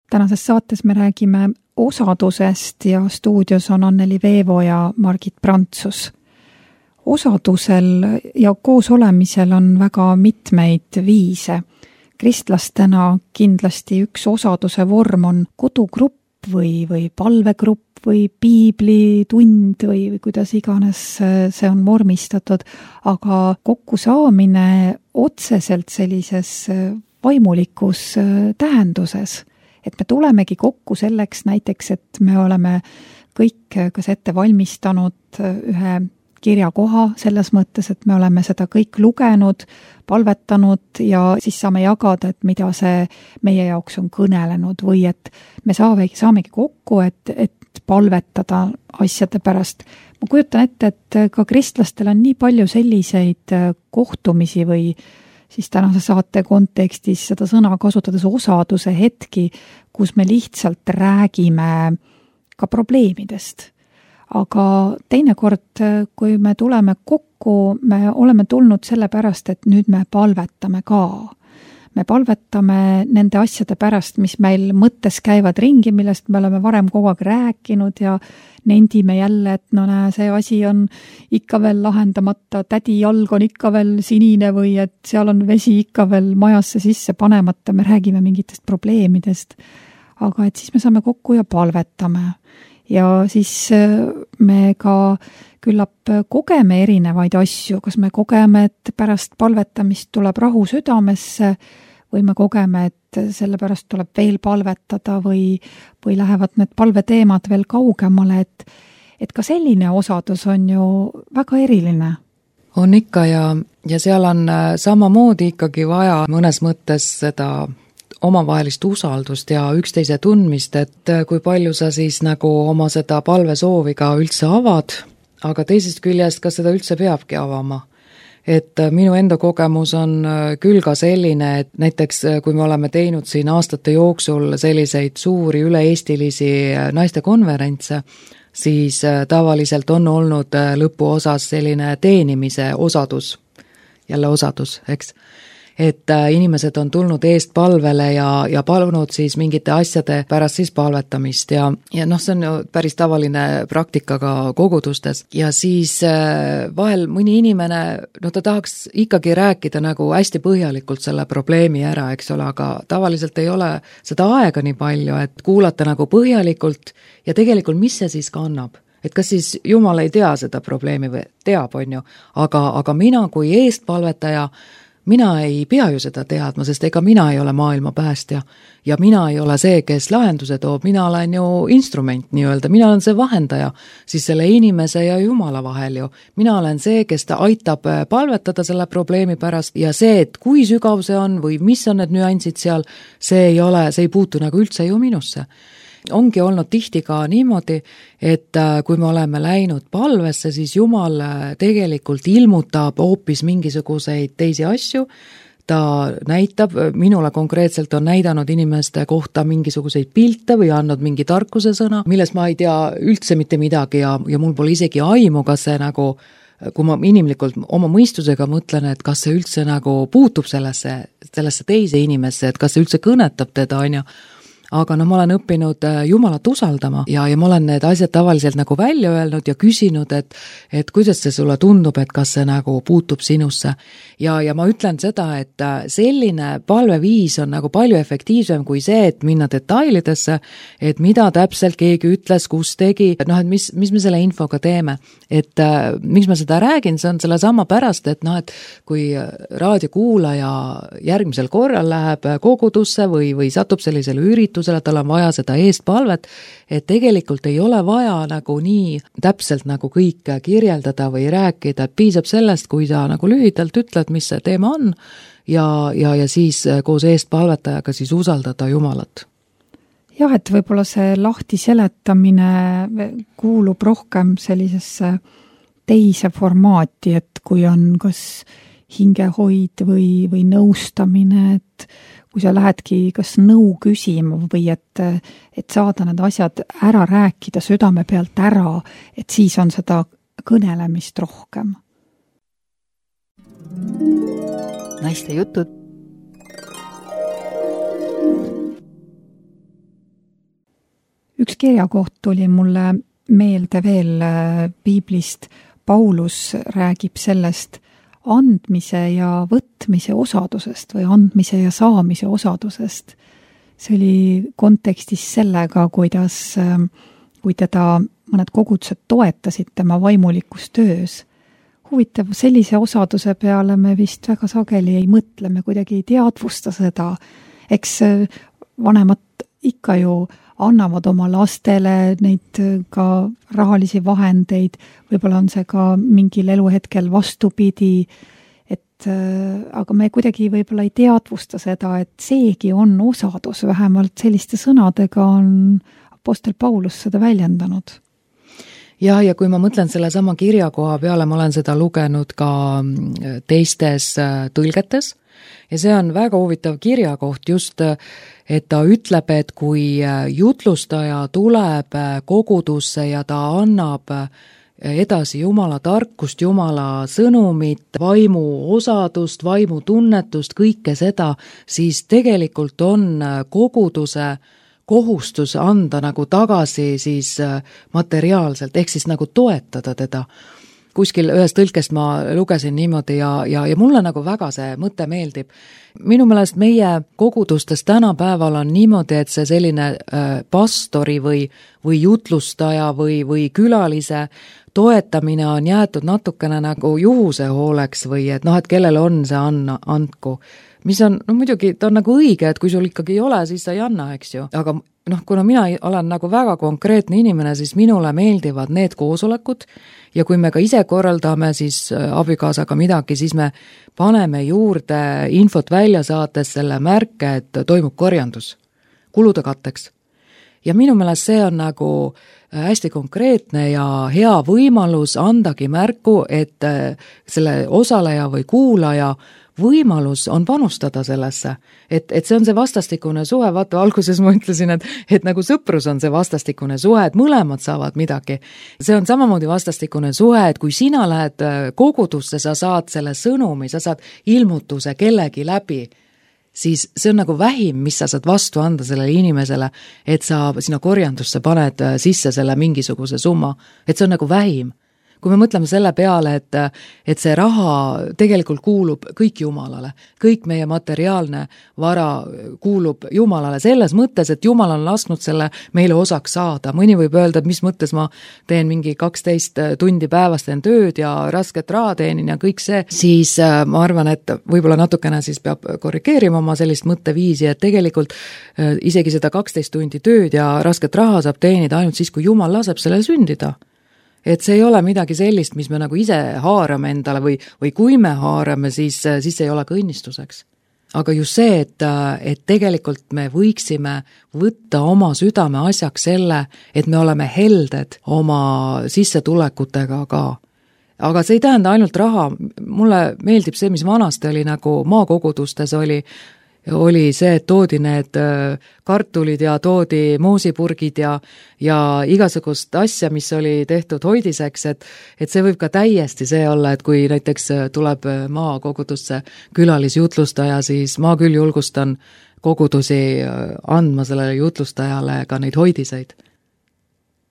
tänases saates me räägime osadusest ja stuudios on Anneli Veevo ja Margit Prantsus. Osadusel ja koos olemisel on väga mitmeid viise. Kristlastena kindlasti üks osaduse vorm on kodugrupp või, või palvegrupp või piiblitund või, või kuidas iganes see on vormistatud, aga kokkusaamine otseselt sellises vaimulikus tähenduses, et me tulemegi kokku selleks näiteks, et me oleme kõik kas ette valmistanud ühe kirjakoha selles mõttes, et me oleme seda kõik lugenud, palvetanud ja siis saame jagada, et mida see meie jaoks on kõnelenud või et me saamegi, saamegi kokku, et, et palvetada asjade pärast. Ma kujutan ette, et ka kristlastel on nii palju selliseid kohtumisi või siis tänase saate kontekstis seda sõna kasutades osaduse hetki, kus me lihtsalt räägime ka probleemidest. Aga teinekord, kui me tuleme kokku, me oleme tulnud selle pärast, et nüüd me palvetame ka. Me palvetame nende asjade pärast, mis meil mõttes käivad ringi, millest me oleme varem kogu aeg rääkinud ja nendime jälle, et no näe, see asi on ikka veel lahendamata, tädi jalg on ikka veel sinine või et seal on vesi ikka veel majasse sisse panemata, me räägime mingitest probleemidest. Aga et siis me saame kokku ja palvetame. Ja siis me ka küllap kogeme erinevaid asju, kas me kogeme, et pärast palvetamist tuleb rahu südamesse või me kogeme, et selle pärast tuleb veel palvetada või, või lähevad need palveteemad veel kaugemale, et, et ka selline osadus on ju väga eriline. On ikka ja, ja seal on samamoodi ikkagi vaja mõnes mõttes seda omavahelist usaldust ja üksteise tundmist, et kui palju sa siis nagu oma seda palvesoovi ka üldse avad, aga teisest küljest, kas seda üldse peabki avama. Et minu enda kogemus on küll ka selline, et näiteks kui me oleme teinud siin aastate jooksul selliseid suuri üle-eestilisi naistekonverentse, siis tavaliselt on olnud lõpuosas selline teenimise osadus, jälle osadus, eks. Et inimesed on tulnud eest palvele ja, ja palunud siis mingite asjade pärast siis palvetamist ja, ja noh, see on ju päris tavaline praktika ka kogudustes ja siis vahel mõni inimene, no ta tahaks ikkagi rääkida nagu hästi põhjalikult selle probleemi ära, eks ole, aga tavaliselt ei ole seda aega nii palju, et kuulata nagu põhjalikult ja tegelikult mis see siis kannab. Et kas siis Jumal ei tea seda probleemi või teab, on ju, aga, aga mina kui eestpalvetaja mina ei pea ju seda teadma, sest ega mina ei ole maailma päästja ja mina ei ole see, kes lahenduse toob, mina olen ju instrument nii-öelda, mina olen see vahendaja siis selle inimese ja Jumala vahel ju. Mina olen see, kes ta aitab palvetada selle probleemi pärast ja see, et kui sügav see on või mis on need nüansid seal, see ei ole, see ei puutu nagu üldse ju minusse. Ongi olnud tihti ka niimoodi, et kui me oleme läinud palvesse, siis Jumal tegelikult ilmutab hoopis mingisuguseid teisi asju, ta näitab, minule konkreetselt on näidanud inimeste kohta mingisuguseid pilte või andnud mingi tarkuse sõna, milles ma ei tea üldse mitte midagi ja, ja mul pole isegi aimu, kas see nagu kui ma inimlikult oma mõistusega mõtlen, et kas see üldse nagu puutub sellesse, sellesse teise inimesse, et kas see üldse kõnetab teda, on ju. Aga no ma olen õppinud Jumalat usaldama ja, ja ma olen need asjad tavaliselt nagu välja öelnud ja küsinud, et, et kuidas see sulle tundub, et kas see nagu puutub sinusse. Ja, ja ma ütlen seda, et selline palveviis on nagu palju efektiivsem kui see, et minna detailidesse, et mida täpselt keegi ütles, kus tegi, noh, et mis, mis me selle infoga teeme. Et äh, miks ma seda räägin, see on selle sama pärast, et noh, et kui raadiokuulaja järgmisel korral läheb kogudusse või, või satub sellisele üritusele, tal on vaja seda eestpalvet, et tegelikult ei ole vaja nagu nii täpselt nagu kõik kirjeldada või rääkida, et piisab sellest, kui sa nagu lühidalt ütled, mis see teema on ja, ja, ja siis koos eestpalvetajaga siis usaldada Jumalat. Jah, et võib-olla see lahti seletamine kuulub rohkem sellisesse teise formaati, et kui on kas hingehoid või, või nõustamine, et kui sa lähedki kas nõu küsima või et, et saada need asjad ära rääkida südame pealt ära, et siis on seda kõnelemist rohkem. Naiste jutud. üks kirjakoht tuli mulle meelde veel piiblist. Paulus räägib sellest andmise ja võtmise osadusest või andmise ja saamise osadusest. See oli kontekstis sellega, kuidas, kui teda mõned kogudused toetasid tema vaimulikus töös. Huvitav, sellise osaduse peale me vist väga sageli ei mõtle, me kuidagi ei teadvusta seda. Eks vanemad ikka ju annavad oma lastele neid ka rahalisi vahendeid, võib-olla on see ka mingil eluhetkel vastupidi, et aga me kuidagi võib-olla ei teadvusta seda, et seegi on osadus, vähemalt selliste sõnadega on apostel Paulus seda väljendanud. Ja, ja kui ma mõtlen selle sama kirjakoha peale, ma olen seda lugenud ka teistes tõlgetes ja see on väga huvitav kirjakoht just, et ta ütleb, et kui jutlustaja tuleb kogudusse ja ta annab edasi Jumala tarkust, Jumala sõnumit, vaimu osadust, vaimu tunnetust, kõike seda, siis tegelikult on koguduse kohustus anda nagu tagasi siis materiaalselt, ehk siis nagu toetada teda. Kuskil ühest tõlkest ma lugesin niimoodi ja, ja, ja mulle nagu väga see mõte meeldib. Minu meelest meie kogudustes tänapäeval on niimoodi, et see selline pastori või, või jutlustaja või, või külalise toetamine on jäetud natukene nagu juhuse hooleks või et noh, et kellel on see anna, andku. Mis on, no muidugi, ta on nagu õige, et kui sul ikkagi ei ole, siis sa ei anna, eks ju. Aga noh, kuna mina olen nagu väga konkreetne inimene, siis minule meeldivad need koosolekud ja kui me ka ise korraldame siis abikaasaga midagi, siis me paneme juurde infot välja saates selle märke, et toimub korjandus kulude katteks. Ja minu meelest see on nagu hästi konkreetne ja hea võimalus andagi märku, et selle osaleja või kuulaja võimalus on panustada sellesse, et, et see on see vastastikune suhe, vaata alguses ma ütlesin, et, et nagu sõprus on see vastastikune suhe, et mõlemad saavad midagi. See on samamoodi vastastikune suhe, et kui sina lähed kogudusse, sa saad selle sõnumi, sa saad ilmutuse kellegi läbi, siis see on nagu vähim, mis sa saad vastu anda sellele inimesele, et sa sina korjandusse paned sisse selle mingisuguse summa, et see on nagu vähim. Kui me mõtleme selle peale, et, et see raha tegelikult kuulub kõik Jumalale, kõik meie materiaalne vara kuulub Jumalale selles mõttes, et Jumal on lasknud selle meile osaks saada. Mõni võib öelda, et mis mõttes ma teen mingi kaksteist tundi päevast teen tööd ja rasket raha teenin ja kõik see, siis ma arvan, et võib-olla natukene siis peab korrigeerima oma sellist mõtteviisi, et tegelikult isegi seda kaksteist tundi tööd ja rasket raha saab teenida ainult siis, kui Jumal laseb selle sündida. Et see ei ole midagi sellist, mis me nagu ise haarame endale või, või kui me haarame, siis, siis ei ole ka õnnistuseks. Aga just see, et, et tegelikult me võiksime võtta oma südame asjaks selle, et me oleme helded oma sissetulekutega ka. Aga see ei tähenda ainult raha. Mulle meeldib see, mis vanasti oli nagu maakogudustes oli, oli see, et toodi need kartulid ja toodi moosipurgid ja, ja igasugust asja, mis oli tehtud hoidiseks, et, et see võib ka täiesti see olla, et kui näiteks tuleb maakogudusse külalisjutlustaja, siis ma küll julgustan kogudusi andma sellele jutlustajale ka neid hoidiseid.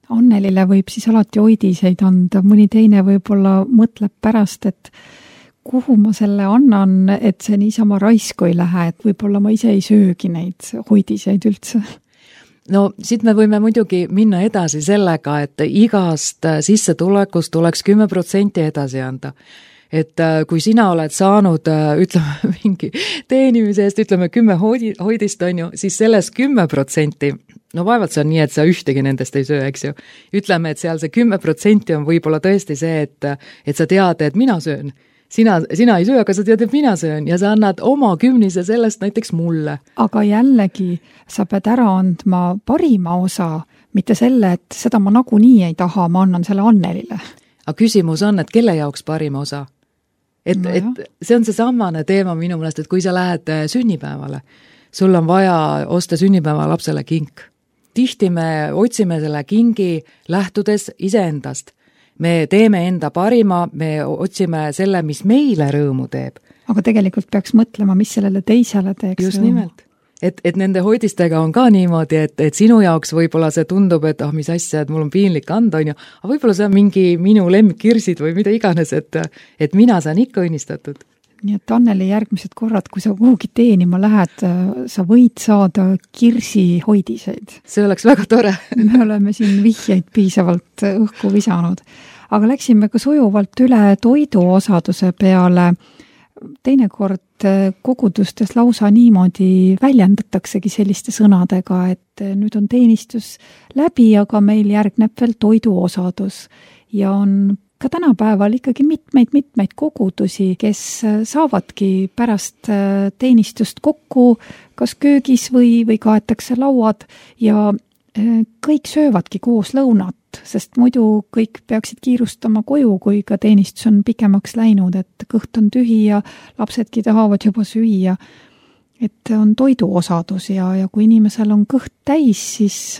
Annelile võib siis alati hoidiseid anda, mõni teine võib-olla mõtleb pärast, et kuhu ma selle annan, et see niisama raisku ei lähe, et võib-olla ma ise ei söögi neid hoidiseid üldse. No siit me võime muidugi minna edasi sellega, et igast sissetulekust tuleks kümme protsenti edasi anda. Et kui sina oled saanud, ütleme, mingi teenimise eest, ütleme, kümme hoidist on ju, siis sellest kümme protsenti, no vaevalt see on nii, et sa ühtegi nendest ei söö, eks ju. Ütleme, et seal see kümme protsenti on võib-olla tõesti see, et, et sa tead, et mina söön. Sina, sina ei söö, aga sa tead, et mina söön ja sa annad oma kümnise sellest näiteks mulle. Aga jällegi, sa pead ära andma parima osa, mitte selle, et seda ma nagunii ei taha, ma annan selle Annelile. Aga küsimus on, et kelle jaoks parima osa? Et, no et see on see samane teema minu meelest, et kui sa lähed sünnipäevale, sul on vaja osta sünnipäeva lapsele kink. Tihti me otsime selle kingi lähtudes iseendast. Me teeme enda parima, me otsime selle, mis meile rõõmu teeb. Aga tegelikult peaks mõtlema, mis sellele teisele teeks Just rõõmu. Nimelt. et, et nende hoidistega on ka niimoodi, et, et sinu jaoks võib-olla see tundub, et ah, mis asja, et mul on piinlik anda, on ju, aga võib-olla see on mingi minu lemmikkirsid või mida iganes, et, et mina saan ikka õnnistatud. Nii et Anneli, järgmised korrad, kui sa kuhugi teenima lähed, sa võid saada kirsihoidiseid. See oleks väga tore. Me oleme siin vihjeid piisavalt õhku visanud. Aga läksime ka sujuvalt üle toiduosaduse peale. Teinekord kogudustes lausa niimoodi väljendataksegi selliste sõnadega, et nüüd on teenistus läbi, aga meil järgneb veel toiduosadus ja on ka tänapäeval ikkagi mitmeid-mitmeid kogudusi, kes saavadki pärast teenistust kokku kas köögis või, või kaetakse lauad ja kõik söövadki koos lõunat, sest muidu kõik peaksid kiirustama koju, kui ka teenistus on pikemaks läinud, et kõht on tühi ja lapsedki tahavad juba süüa. Et on toiduosadus ja, ja kui inimesel on kõht täis, siis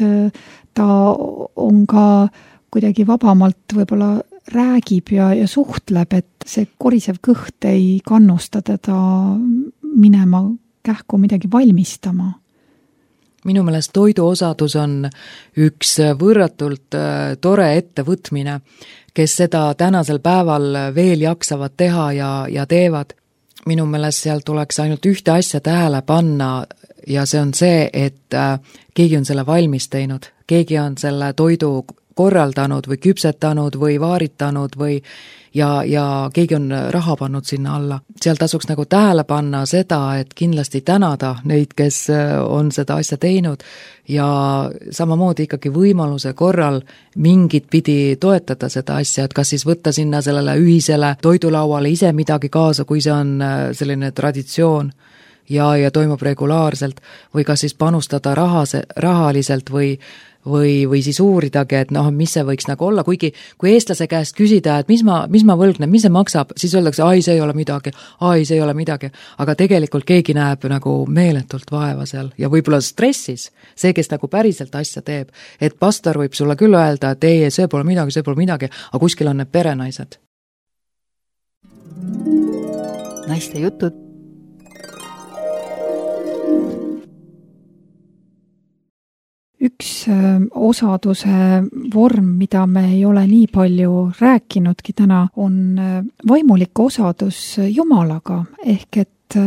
ta on ka kuidagi vabamalt võib-olla räägib ja, ja suhtleb, et see korisev kõht ei kannusta teda minema kähku midagi valmistama. Minu meelest toiduosadus on üks võrratult tore ettevõtmine, kes seda tänasel päeval veel jaksavad teha ja, ja teevad. Minu meelest seal tuleks ainult ühte asja tähele panna ja see on see, et keegi on selle valmis teinud, keegi on selle toidu korraldanud või küpsetanud või vaaritanud või ja, ja keegi on raha pannud sinna alla. Seal tasuks nagu tähele panna seda, et kindlasti tänada neid, kes on seda asja teinud ja samamoodi ikkagi võimaluse korral mingit pidi toetada seda asja, et kas siis võtta sinna sellele ühisele toidulauale ise midagi kaasa, kui see on selline traditsioon ja, ja toimub regulaarselt või kas siis panustada rahase, rahaliselt või või, või siis uuridagi, et noh, mis see võiks nagu olla, kuigi kui eestlase käest küsida, et mis ma, mis ma võlgnen, mis see maksab, siis öeldakse, ai, see ei ole midagi, ai, see ei ole midagi, aga tegelikult keegi näeb nagu meeletult vaeva seal ja võib-olla stressis, see, kes nagu päriselt asja teeb, et pastor võib sulle küll öelda, et ei, see pole midagi, see pole midagi, aga kuskil on need perenaised. Naiste jutud. Üks osaduse vorm, mida me ei ole nii palju rääkinudki täna, on vaimulik osadus Jumalaga, ehk et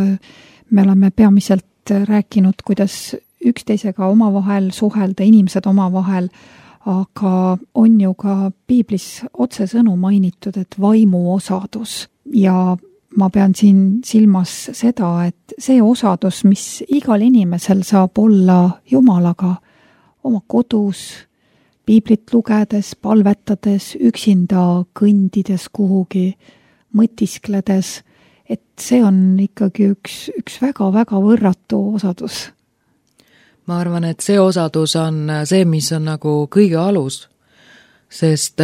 me oleme peamiselt rääkinud, kuidas üksteisega omavahel suhelda, inimesed omavahel, aga on ju ka piiblis otsesõnu mainitud, et vaimu osadus ja ma pean siin silmas seda, et see osadus, mis igal inimesel saab olla Jumalaga, oma kodus, piiblit lugedes, palvetades, üksinda kõndides kuhugi, mõtiskledes, et see on ikkagi üks, üks väga-väga võrratu osadus. Ma arvan, et see osadus on see, mis on nagu kõige alus, sest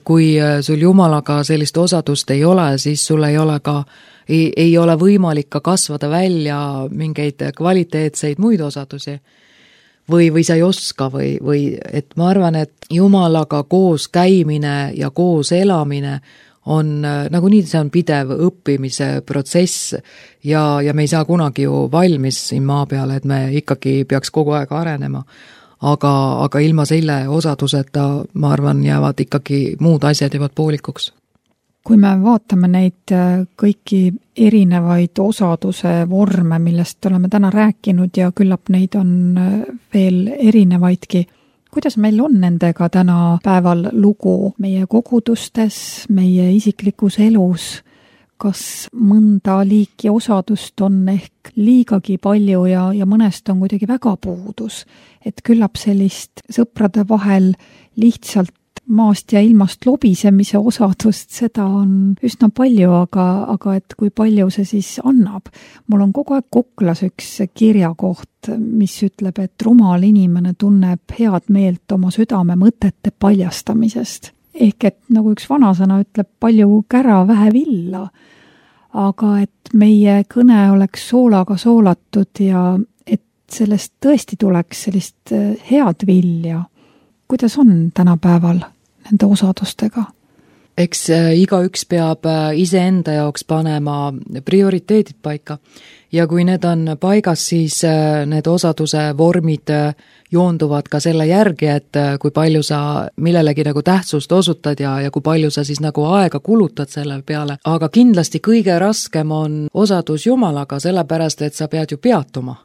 kui sul Jumalaga sellist osadust ei ole, siis sul ei ole ka, ei, ei ole võimalik ka kasvada välja mingeid kvaliteetseid muid osadusi. Või, või sa ei oska või, või et ma arvan, et Jumalaga koos käimine ja koos elamine on nagu nii, see on pidev õppimise protsess ja, ja me ei saa kunagi ju valmis siin maa peale, et me ikkagi peaks kogu aeg arenema. Aga, aga ilma selle osaduseta, ma arvan, jäävad ikkagi muud asjad jäävad poolikuks. Kui me vaatame neid kõiki erinevaid osaduse vorme, millest oleme täna rääkinud ja küllap neid on veel erinevaidki, kuidas meil on nendega täna päeval lugu meie kogudustes, meie isiklikus elus? Kas mõnda liiki osadust on ehk liigagi palju ja, ja mõnest on kuidagi väga puudus, et küllap sellist sõprade vahel lihtsalt maast ja ilmast lobisemise osadust, seda on üsna palju, aga, aga et kui palju see siis annab. Mul on kogu aeg Koklas üks kirjakoht, mis ütleb, et rumal inimene tunneb head meelt oma südame mõtete paljastamisest. Ehk et nagu üks vanasõna ütleb, palju kära, vähe villa. Aga et meie kõne oleks soolaga soolatud ja et sellest tõesti tuleks sellist head vilja. Kuidas on tänapäeval nende osadustega? eks igaüks peab iseenda jaoks panema prioriteedid paika ja kui need on paigas, siis need osaduse vormid joonduvad ka selle järgi, et kui palju sa millelegi nagu tähtsust osutad ja, ja kui palju sa siis nagu aega kulutad selle peale. Aga kindlasti kõige raskem on osadus Jumalaga, sellepärast, et sa pead ju peatuma.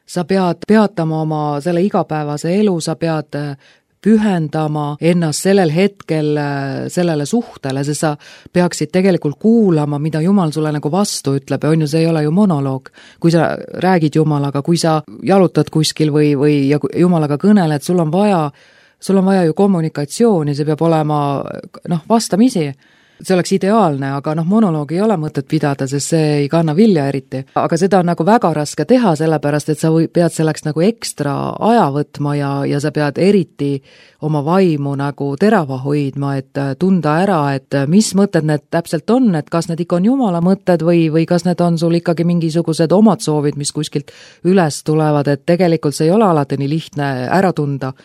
Sa pead peatama oma selle igapäevase elu, sa pead pühendama ennast sellel hetkel sellele suhtele, sest sa peaksid tegelikult kuulama, mida Jumal sulle nagu vastu ütleb, on ju, see ei ole ju monoloog. Kui sa räägid Jumalaga, kui sa jalutad kuskil või, või ja Jumalaga kõneled, sul on vaja, sul on vaja ju kommunikatsiooni, see peab olema noh, vastamisi. See oleks ideaalne, aga noh, monoloogi ei ole mõtet pidada, sest see ei kanna vilja eriti. Aga seda on nagu väga raske teha, sellepärast, et sa või, pead selleks nagu ekstra aja võtma ja, ja sa pead eriti oma vaimu nagu terava hoidma, et tunda ära, et mis mõtted need täpselt on, et kas need ikka on Jumala mõtted või, või kas need on sul ikkagi mingisugused omad soovid, mis kuskilt üles tulevad, et tegelikult see ei ole alati nii lihtne ära tunda.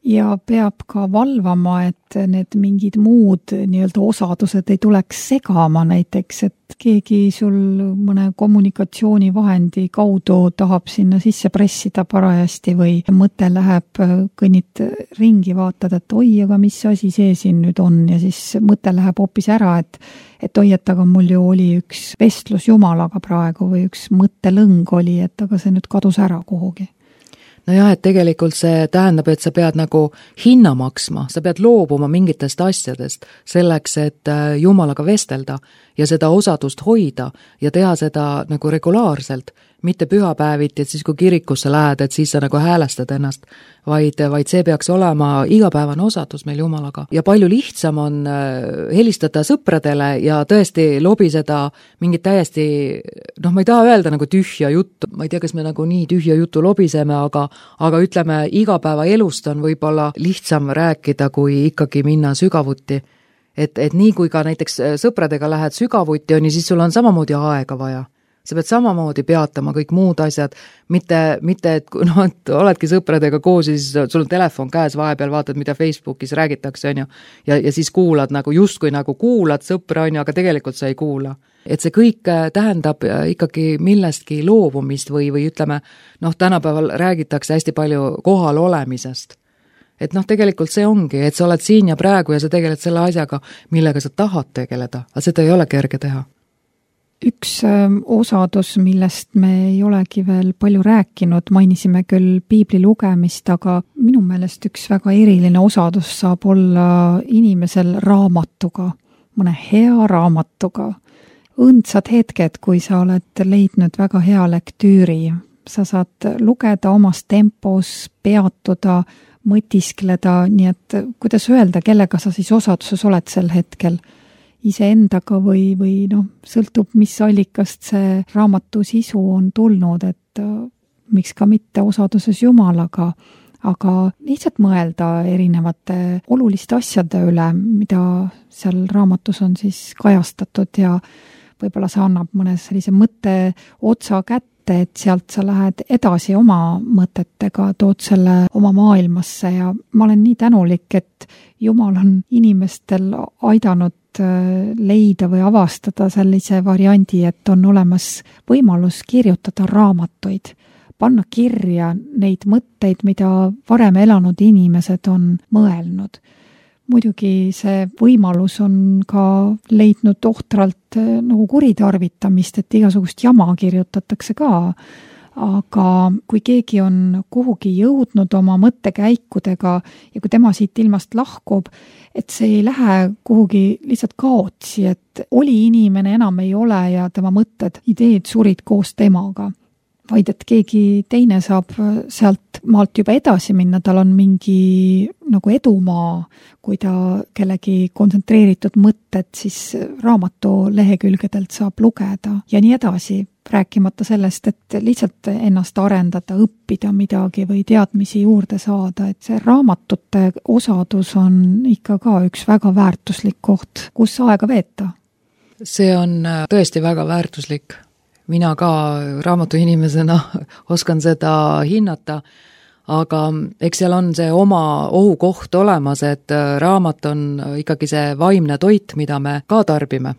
Ja peab ka valvama, et need mingid muud nii-öelda osadused ei tuleks segama, näiteks, et keegi sul mõne kommunikatsioonivahendi kaudu tahab sinna sisse pressida parajasti või mõte läheb, kõnnid ringi, vaatad, et oi, aga mis asi see siin nüüd on ja siis mõte läheb hoopis ära, et et oi, et aga mul ju oli üks vestlus Jumalaga praegu või üks mõttelõng oli, et aga see nüüd kadus ära kuhugi. No jah, et tegelikult see tähendab, et sa pead nagu hinna maksma, sa pead loobuma mingitest asjadest selleks, et Jumalaga vestelda ja seda osadust hoida ja teha seda nagu regulaarselt, mitte pühapäeviti, et siis kui kirikusse lähed, et siis sa nagu häälestad ennast, vaid, vaid see peaks olema igapäevane osadus meil Jumalaga. Ja palju lihtsam on helistada sõpradele ja tõesti lobiseda mingit täiesti, noh, ma ei taha öelda nagu tühja juttu, ma ei tea, kas me nagu nii tühja juttu lobiseme, aga, aga ütleme, igapäeva elust on võib-olla lihtsam rääkida, kui ikkagi minna sügavuti. Et, et nii kui ka näiteks sõpradega lähed sügavuti, on, siis sul on samamoodi aega vaja. Sa pead samamoodi peatama kõik muud asjad, mitte, mitte et, no, et oledki sõpradega koos ja siis sul on telefon käes, vahepeal vaatad, mida Facebookis räägitakse, on ju, ja, ja siis kuulad nagu, justkui nagu kuulad sõpra, on ju, aga tegelikult sa ei kuula. Et see kõik tähendab ikkagi millestki loobumist või, või ütleme, noh, tänapäeval räägitakse hästi palju kohal olemisest. Et noh, tegelikult see ongi, et sa oled siin ja praegu ja sa tegeled selle asjaga, millega sa tahad tegeleda, aga seda ei ole kerge teha. Üks osadus, millest me ei olegi veel palju rääkinud, mainisime küll piibli lugemist, aga minu meelest üks väga eriline osadus saab olla inimesel raamatuga, mõne hea raamatuga. Õndsad hetked, kui sa oled leidnud väga hea lektüüri. Sa saad lugeda omas tempos, peatuda, mõtiskleda, nii et kuidas öelda, kellega sa siis osaduses oled sel hetkel? Iseendaga või, või noh, sõltub, mis allikast see raamatu sisu on tulnud, et miks ka mitte osaduses Jumalaga, aga lihtsalt mõelda erinevate oluliste asjade üle, mida seal raamatus on siis kajastatud ja võib-olla see annab mõne sellise mõtte otsa kätte, et sealt sa lähed edasi oma mõtetega, tood selle oma maailmasse ja ma olen nii tänulik, et Jumal on inimestel aidanud leida või avastada sellise variandi, et on olemas võimalus kirjutada raamatuid, panna kirja neid mõtteid, mida varem elanud inimesed on mõelnud. Muidugi see võimalus on ka leidnud ohtralt nagu kuritarvitamist, et igasugust jama kirjutatakse ka, aga kui keegi on kuhugi jõudnud oma mõttekäikudega ja kui tema siit ilmast lahkub, et see ei lähe kuhugi lihtsalt kaotsi, et oli inimene, enam ei ole ja tema mõtted, ideed surid koos temaga, vaid et keegi teine saab sealt maalt juba edasi minna, tal on mingi nagu edumaa, kui ta kellegi kontsentreeritud mõtted siis raamatu lehekülgedelt saab lugeda ja nii edasi, rääkimata sellest, et lihtsalt ennast arendada, õppida midagi või teadmisi juurde saada, et see raamatute osadus on ikka ka üks väga väärtuslik koht, kus aega veeta. See on tõesti väga väärtuslik. Mina ka raamatuinimesena oskan seda hinnata, aga eks seal on see oma ohukoht olemas, et raamat on ikkagi see vaimne toit, mida me ka tarbime.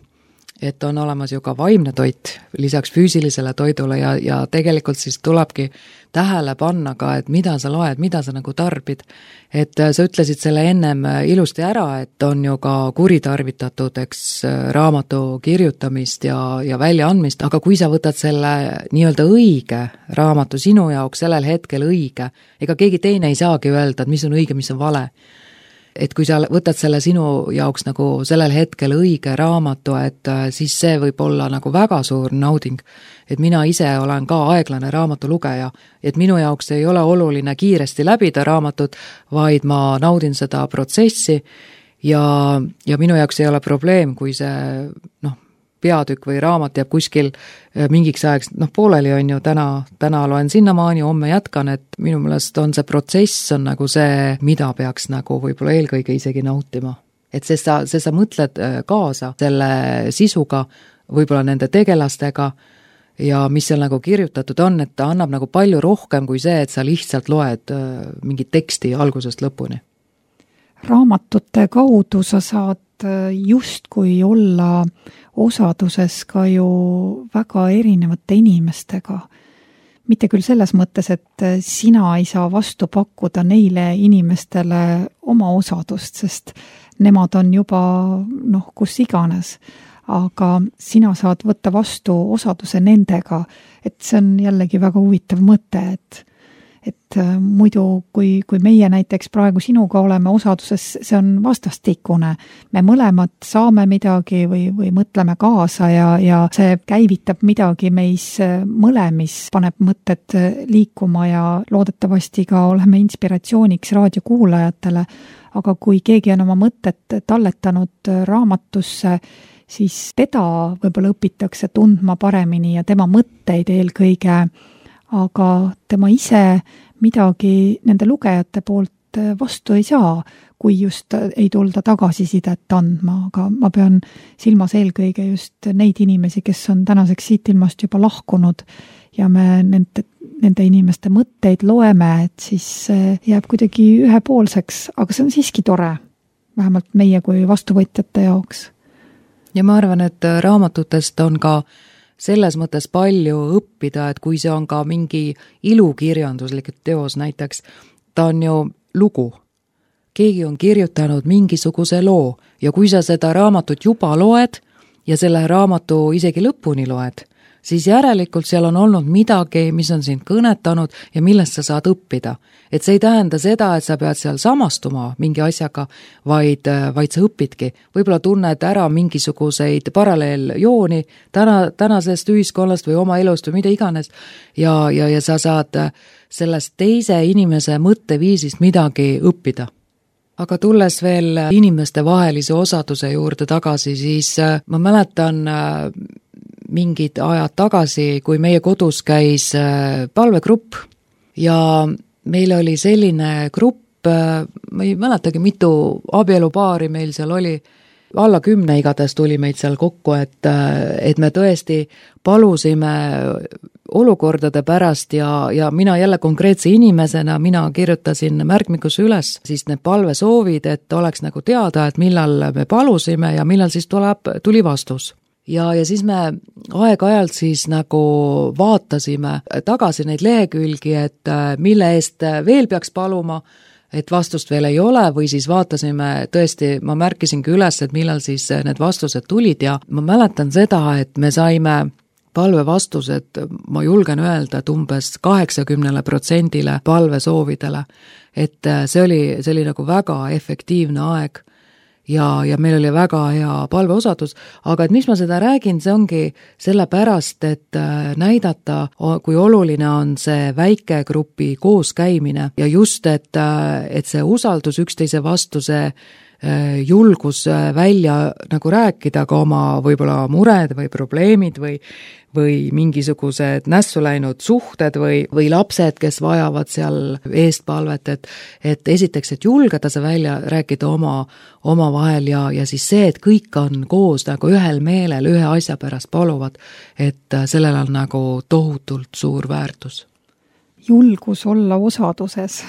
Et on olemas ju ka vaimne toit lisaks füüsilisele toidule ja, ja tegelikult siis tulebki tähele panna ka, et mida sa loed, mida sa nagu tarbid. Et sa ütlesid selle ennem ilusti ära, et on ju ka kuritarvitatud, eks, raamatu kirjutamist ja, ja väljaandmist, aga kui sa võtad selle nii-öelda õige raamatu sinu jaoks sellel hetkel õige, ega keegi teine ei saagi öelda, et mis on õige, mis on vale. Et kui sa võtad selle sinu jaoks nagu sellel hetkel õige raamatu, et siis see võib olla nagu väga suur nauding. Et mina ise olen ka aeglane raamatulugeja, et minu jaoks ei ole oluline kiiresti läbida raamatut, vaid ma naudin seda protsessi ja, ja minu jaoks ei ole probleem, kui see noh, peatükk või raamat jääb kuskil mingiks ajaks, noh pooleli on ju täna, täna loen sinnamaani, homme jätkan, et minu meelest on see protsess on nagu see, mida peaks nagu võib-olla eelkõige isegi nautima. Et see sa, see sa mõtled kaasa selle sisuga, võib-olla nende tegelastega ja mis seal nagu kirjutatud on, et ta annab nagu palju rohkem kui see, et sa lihtsalt loed mingit teksti algusest lõpuni. Raamatute kaudu sa saad justkui olla osaduses ka ju väga erinevate inimestega. Mitte küll selles mõttes, et sina ei saa vastu pakkuda neile inimestele oma osadust, sest nemad on juba noh, kus iganes. Aga sina saad võtta vastu osaduse nendega, et see on jällegi väga huvitav mõte, et et muidu, kui, kui meie näiteks praegu sinuga oleme osaduses, see on vastastikune. Me mõlemad saame midagi või, või mõtleme kaasa ja, ja see käivitab midagi meis mõlemis, paneb mõtted liikuma ja loodetavasti ka oleme inspiratsiooniks raadiokuulajatele. Aga kui keegi on oma mõtted talletanud raamatusse, siis teda võib-olla õpitakse tundma paremini ja tema mõtteid eelkõige, aga tema ise midagi nende lugejate poolt vastu ei saa, kui just ei tulda tagasisidet andma, aga ma pean silmas eelkõige just neid inimesi, kes on tänaseks siit ilmast juba lahkunud ja me nende, nende inimeste mõtteid loeme, et siis jääb kuidagi ühepoolseks, aga see on siiski tore, vähemalt meie kui vastuvõtjate jaoks. Ja ma arvan, et raamatutest on ka selles mõttes palju õppida, et kui see on ka mingi ilukirjanduslik teos näiteks, ta on ju lugu. Keegi on kirjutanud mingisuguse loo ja kui sa seda raamatut juba loed ja selle raamatu isegi lõpuni loed, siis järelikult seal on olnud midagi, mis on sind kõnetanud ja millest sa saad õppida. Et see ei tähenda seda, et sa pead seal samastuma mingi asjaga, vaid, vaid sa õpidki. Võib-olla tunned ära mingisuguseid paralleeljooni täna, tänasest ühiskonnast või oma elust või mida iganes ja, ja, ja sa saad sellest teise inimese mõtteviisist midagi õppida. Aga tulles veel inimeste vahelise osaduse juurde tagasi, siis ma mäletan mingid ajad tagasi, kui meie kodus käis palvegrupp ja meil oli selline grupp, ma ei mäletagi, mitu abielupaari meil seal oli, alla kümne igatahes tuli meid seal kokku, et, et me tõesti palusime olukordade pärast ja, ja mina jälle konkreetse inimesena, mina kirjutasin märkmikusse üles siis need palvesoovid, et oleks nagu teada, et millal me palusime ja millal siis tuleb, tuli vastus. Ja, ja siis me aeg-ajalt siis nagu vaatasime tagasi neid lehekülgi, et mille eest veel peaks paluma, et vastust veel ei ole, või siis vaatasime tõesti, ma märkisingi üles, et millal siis need vastused tulid ja ma mäletan seda, et me saime palvevastused, ma julgen öelda, et umbes kaheksakümnele protsendile palvesoovidele, et see oli, see oli nagu väga efektiivne aeg. Ja, ja meil oli väga hea palveosadus, aga et mis ma seda räägin, see ongi sellepärast, et näidata, kui oluline on see väikegrupi kooskäimine ja just, et, et see usaldus üksteise vastu, see julgus välja nagu rääkida ka oma võib-olla mured või probleemid või, või mingisugused nässu läinud suhted või, või lapsed, kes vajavad seal eestpalvet, et, et esiteks, et julgeda see välja rääkida oma, oma vahel ja, ja siis see, et kõik on koos nagu ühel meelel ühe asja pärast paluvad, et sellel on nagu tohutult suur väärtus. julgus olla osaduses.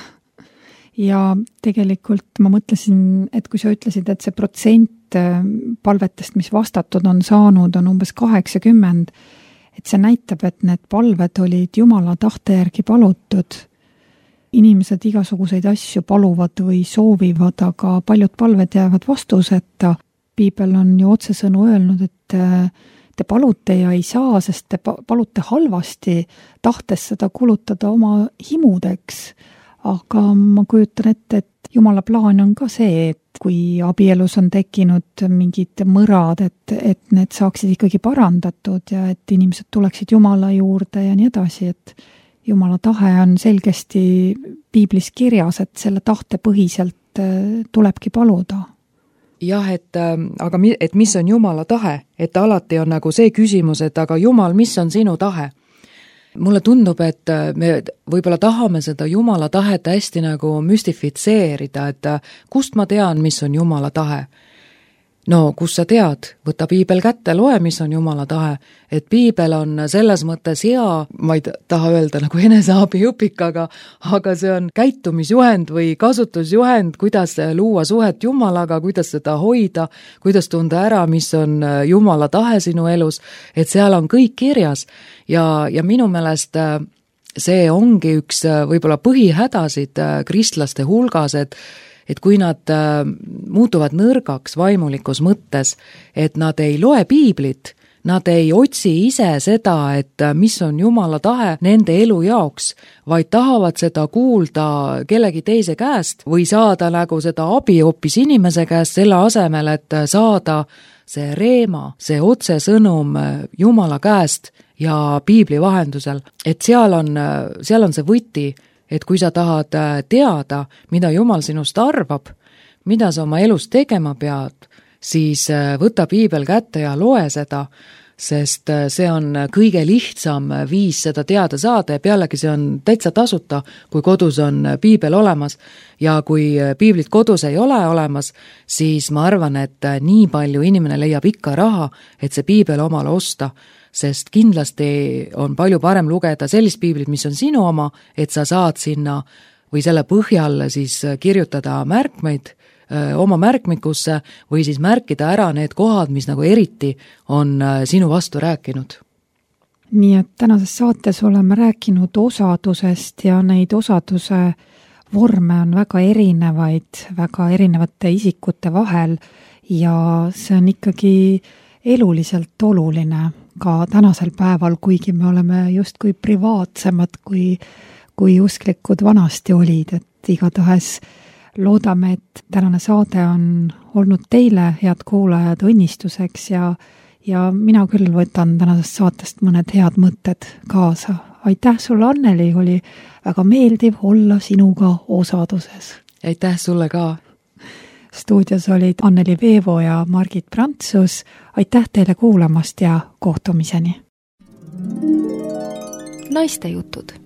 Ja tegelikult ma mõtlesin, et kui sa ütlesid, et see protsent palvetest, mis vastatud on saanud, on umbes kaheksakümmend, et see näitab, et need palved olid Jumala tahte järgi palutud. Inimesed igasuguseid asju paluvad või soovivad, aga paljud palved jäävad vastuseta. Piibel on ju otsesõnu öelnud, et te palute ja ei saa, sest te palute halvasti, tahtes seda kulutada oma himudeks. Aga ma kujutan ette, et Jumala plaan on ka see, et kui abielus on tekkinud mingid mõrad, et, et need saaksid ikkagi parandatud ja et inimesed tuleksid Jumala juurde ja nii edasi, et Jumala tahe on selgesti Piiblis kirjas, et selle tahte põhiselt tulebki paluda. Jah, et, aga et mis on Jumala tahe? Et alati on nagu see küsimus, et aga Jumal, mis on sinu tahe? Mulle tundub, et me võib-olla tahame seda Jumala tahet hästi nagu müstifitseerida, et kust ma tean, mis on Jumala tahe? No, kus sa tead? Võta piibel kätte, loe, mis on Jumala tahe. Et piibel on selles mõttes hea, ma ei taha öelda nagu eneseabiõpik, aga, aga see on käitumisjuhend või kasutusjuhend, kuidas luua suhet Jumalaga, kuidas seda hoida, kuidas tunda ära, mis on Jumala tahe sinu elus, et seal on kõik kirjas. Ja, ja minu meelest see ongi üks võib-olla põhihädasid kristlaste hulgas, et et kui nad äh, muutuvad nõrgaks vaimulikus mõttes, et nad ei loe piiblit, nad ei otsi ise seda, et mis on Jumala tahe nende elu jaoks, vaid tahavad seda kuulda kellegi teise käest või saada nagu seda abi hoopis inimese käest selle asemel, et saada see reema, see otsesõnum Jumala käest ja piibli vahendusel. Et seal on, seal on see võti, et kui sa tahad teada, mida Jumal sinust arvab, mida sa oma elus tegema pead, siis võta piibel kätte ja loe seda, sest see on kõige lihtsam viis seda teada saada ja pealegi see on täitsa tasuta, kui kodus on piibel olemas. Ja kui piiblit kodus ei ole olemas, siis ma arvan, et nii palju inimene leiab ikka raha, et see piibel omale osta, sest kindlasti on palju parem lugeda sellist piiblit, mis on sinu oma, et sa saad sinna või selle põhjal siis kirjutada märkmeid öö, oma märkmikusse või siis märkida ära need kohad, mis nagu eriti on sinu vastu rääkinud. Nii et tänases saates oleme rääkinud osadusest ja neid osaduse vorme on väga erinevaid, väga erinevate isikute vahel ja see on ikkagi eluliselt oluline ka tänasel päeval, kuigi me oleme justkui privaatsemad, kui, kui usklikud vanasti olid, et igatahes loodame, et tänane saade on olnud teile, head kuulajad, õnnistuseks ja, ja mina küll võtan tänasest saatest mõned head mõtted kaasa. Aitäh sulle, Anneli, oli väga meeldiv olla sinuga osaduses. Aitäh sulle ka. Stuudios olid Anneli Veevo ja Margit Prantsus. Aitäh teile kuulamast ja kohtumiseni. Naiste jutud.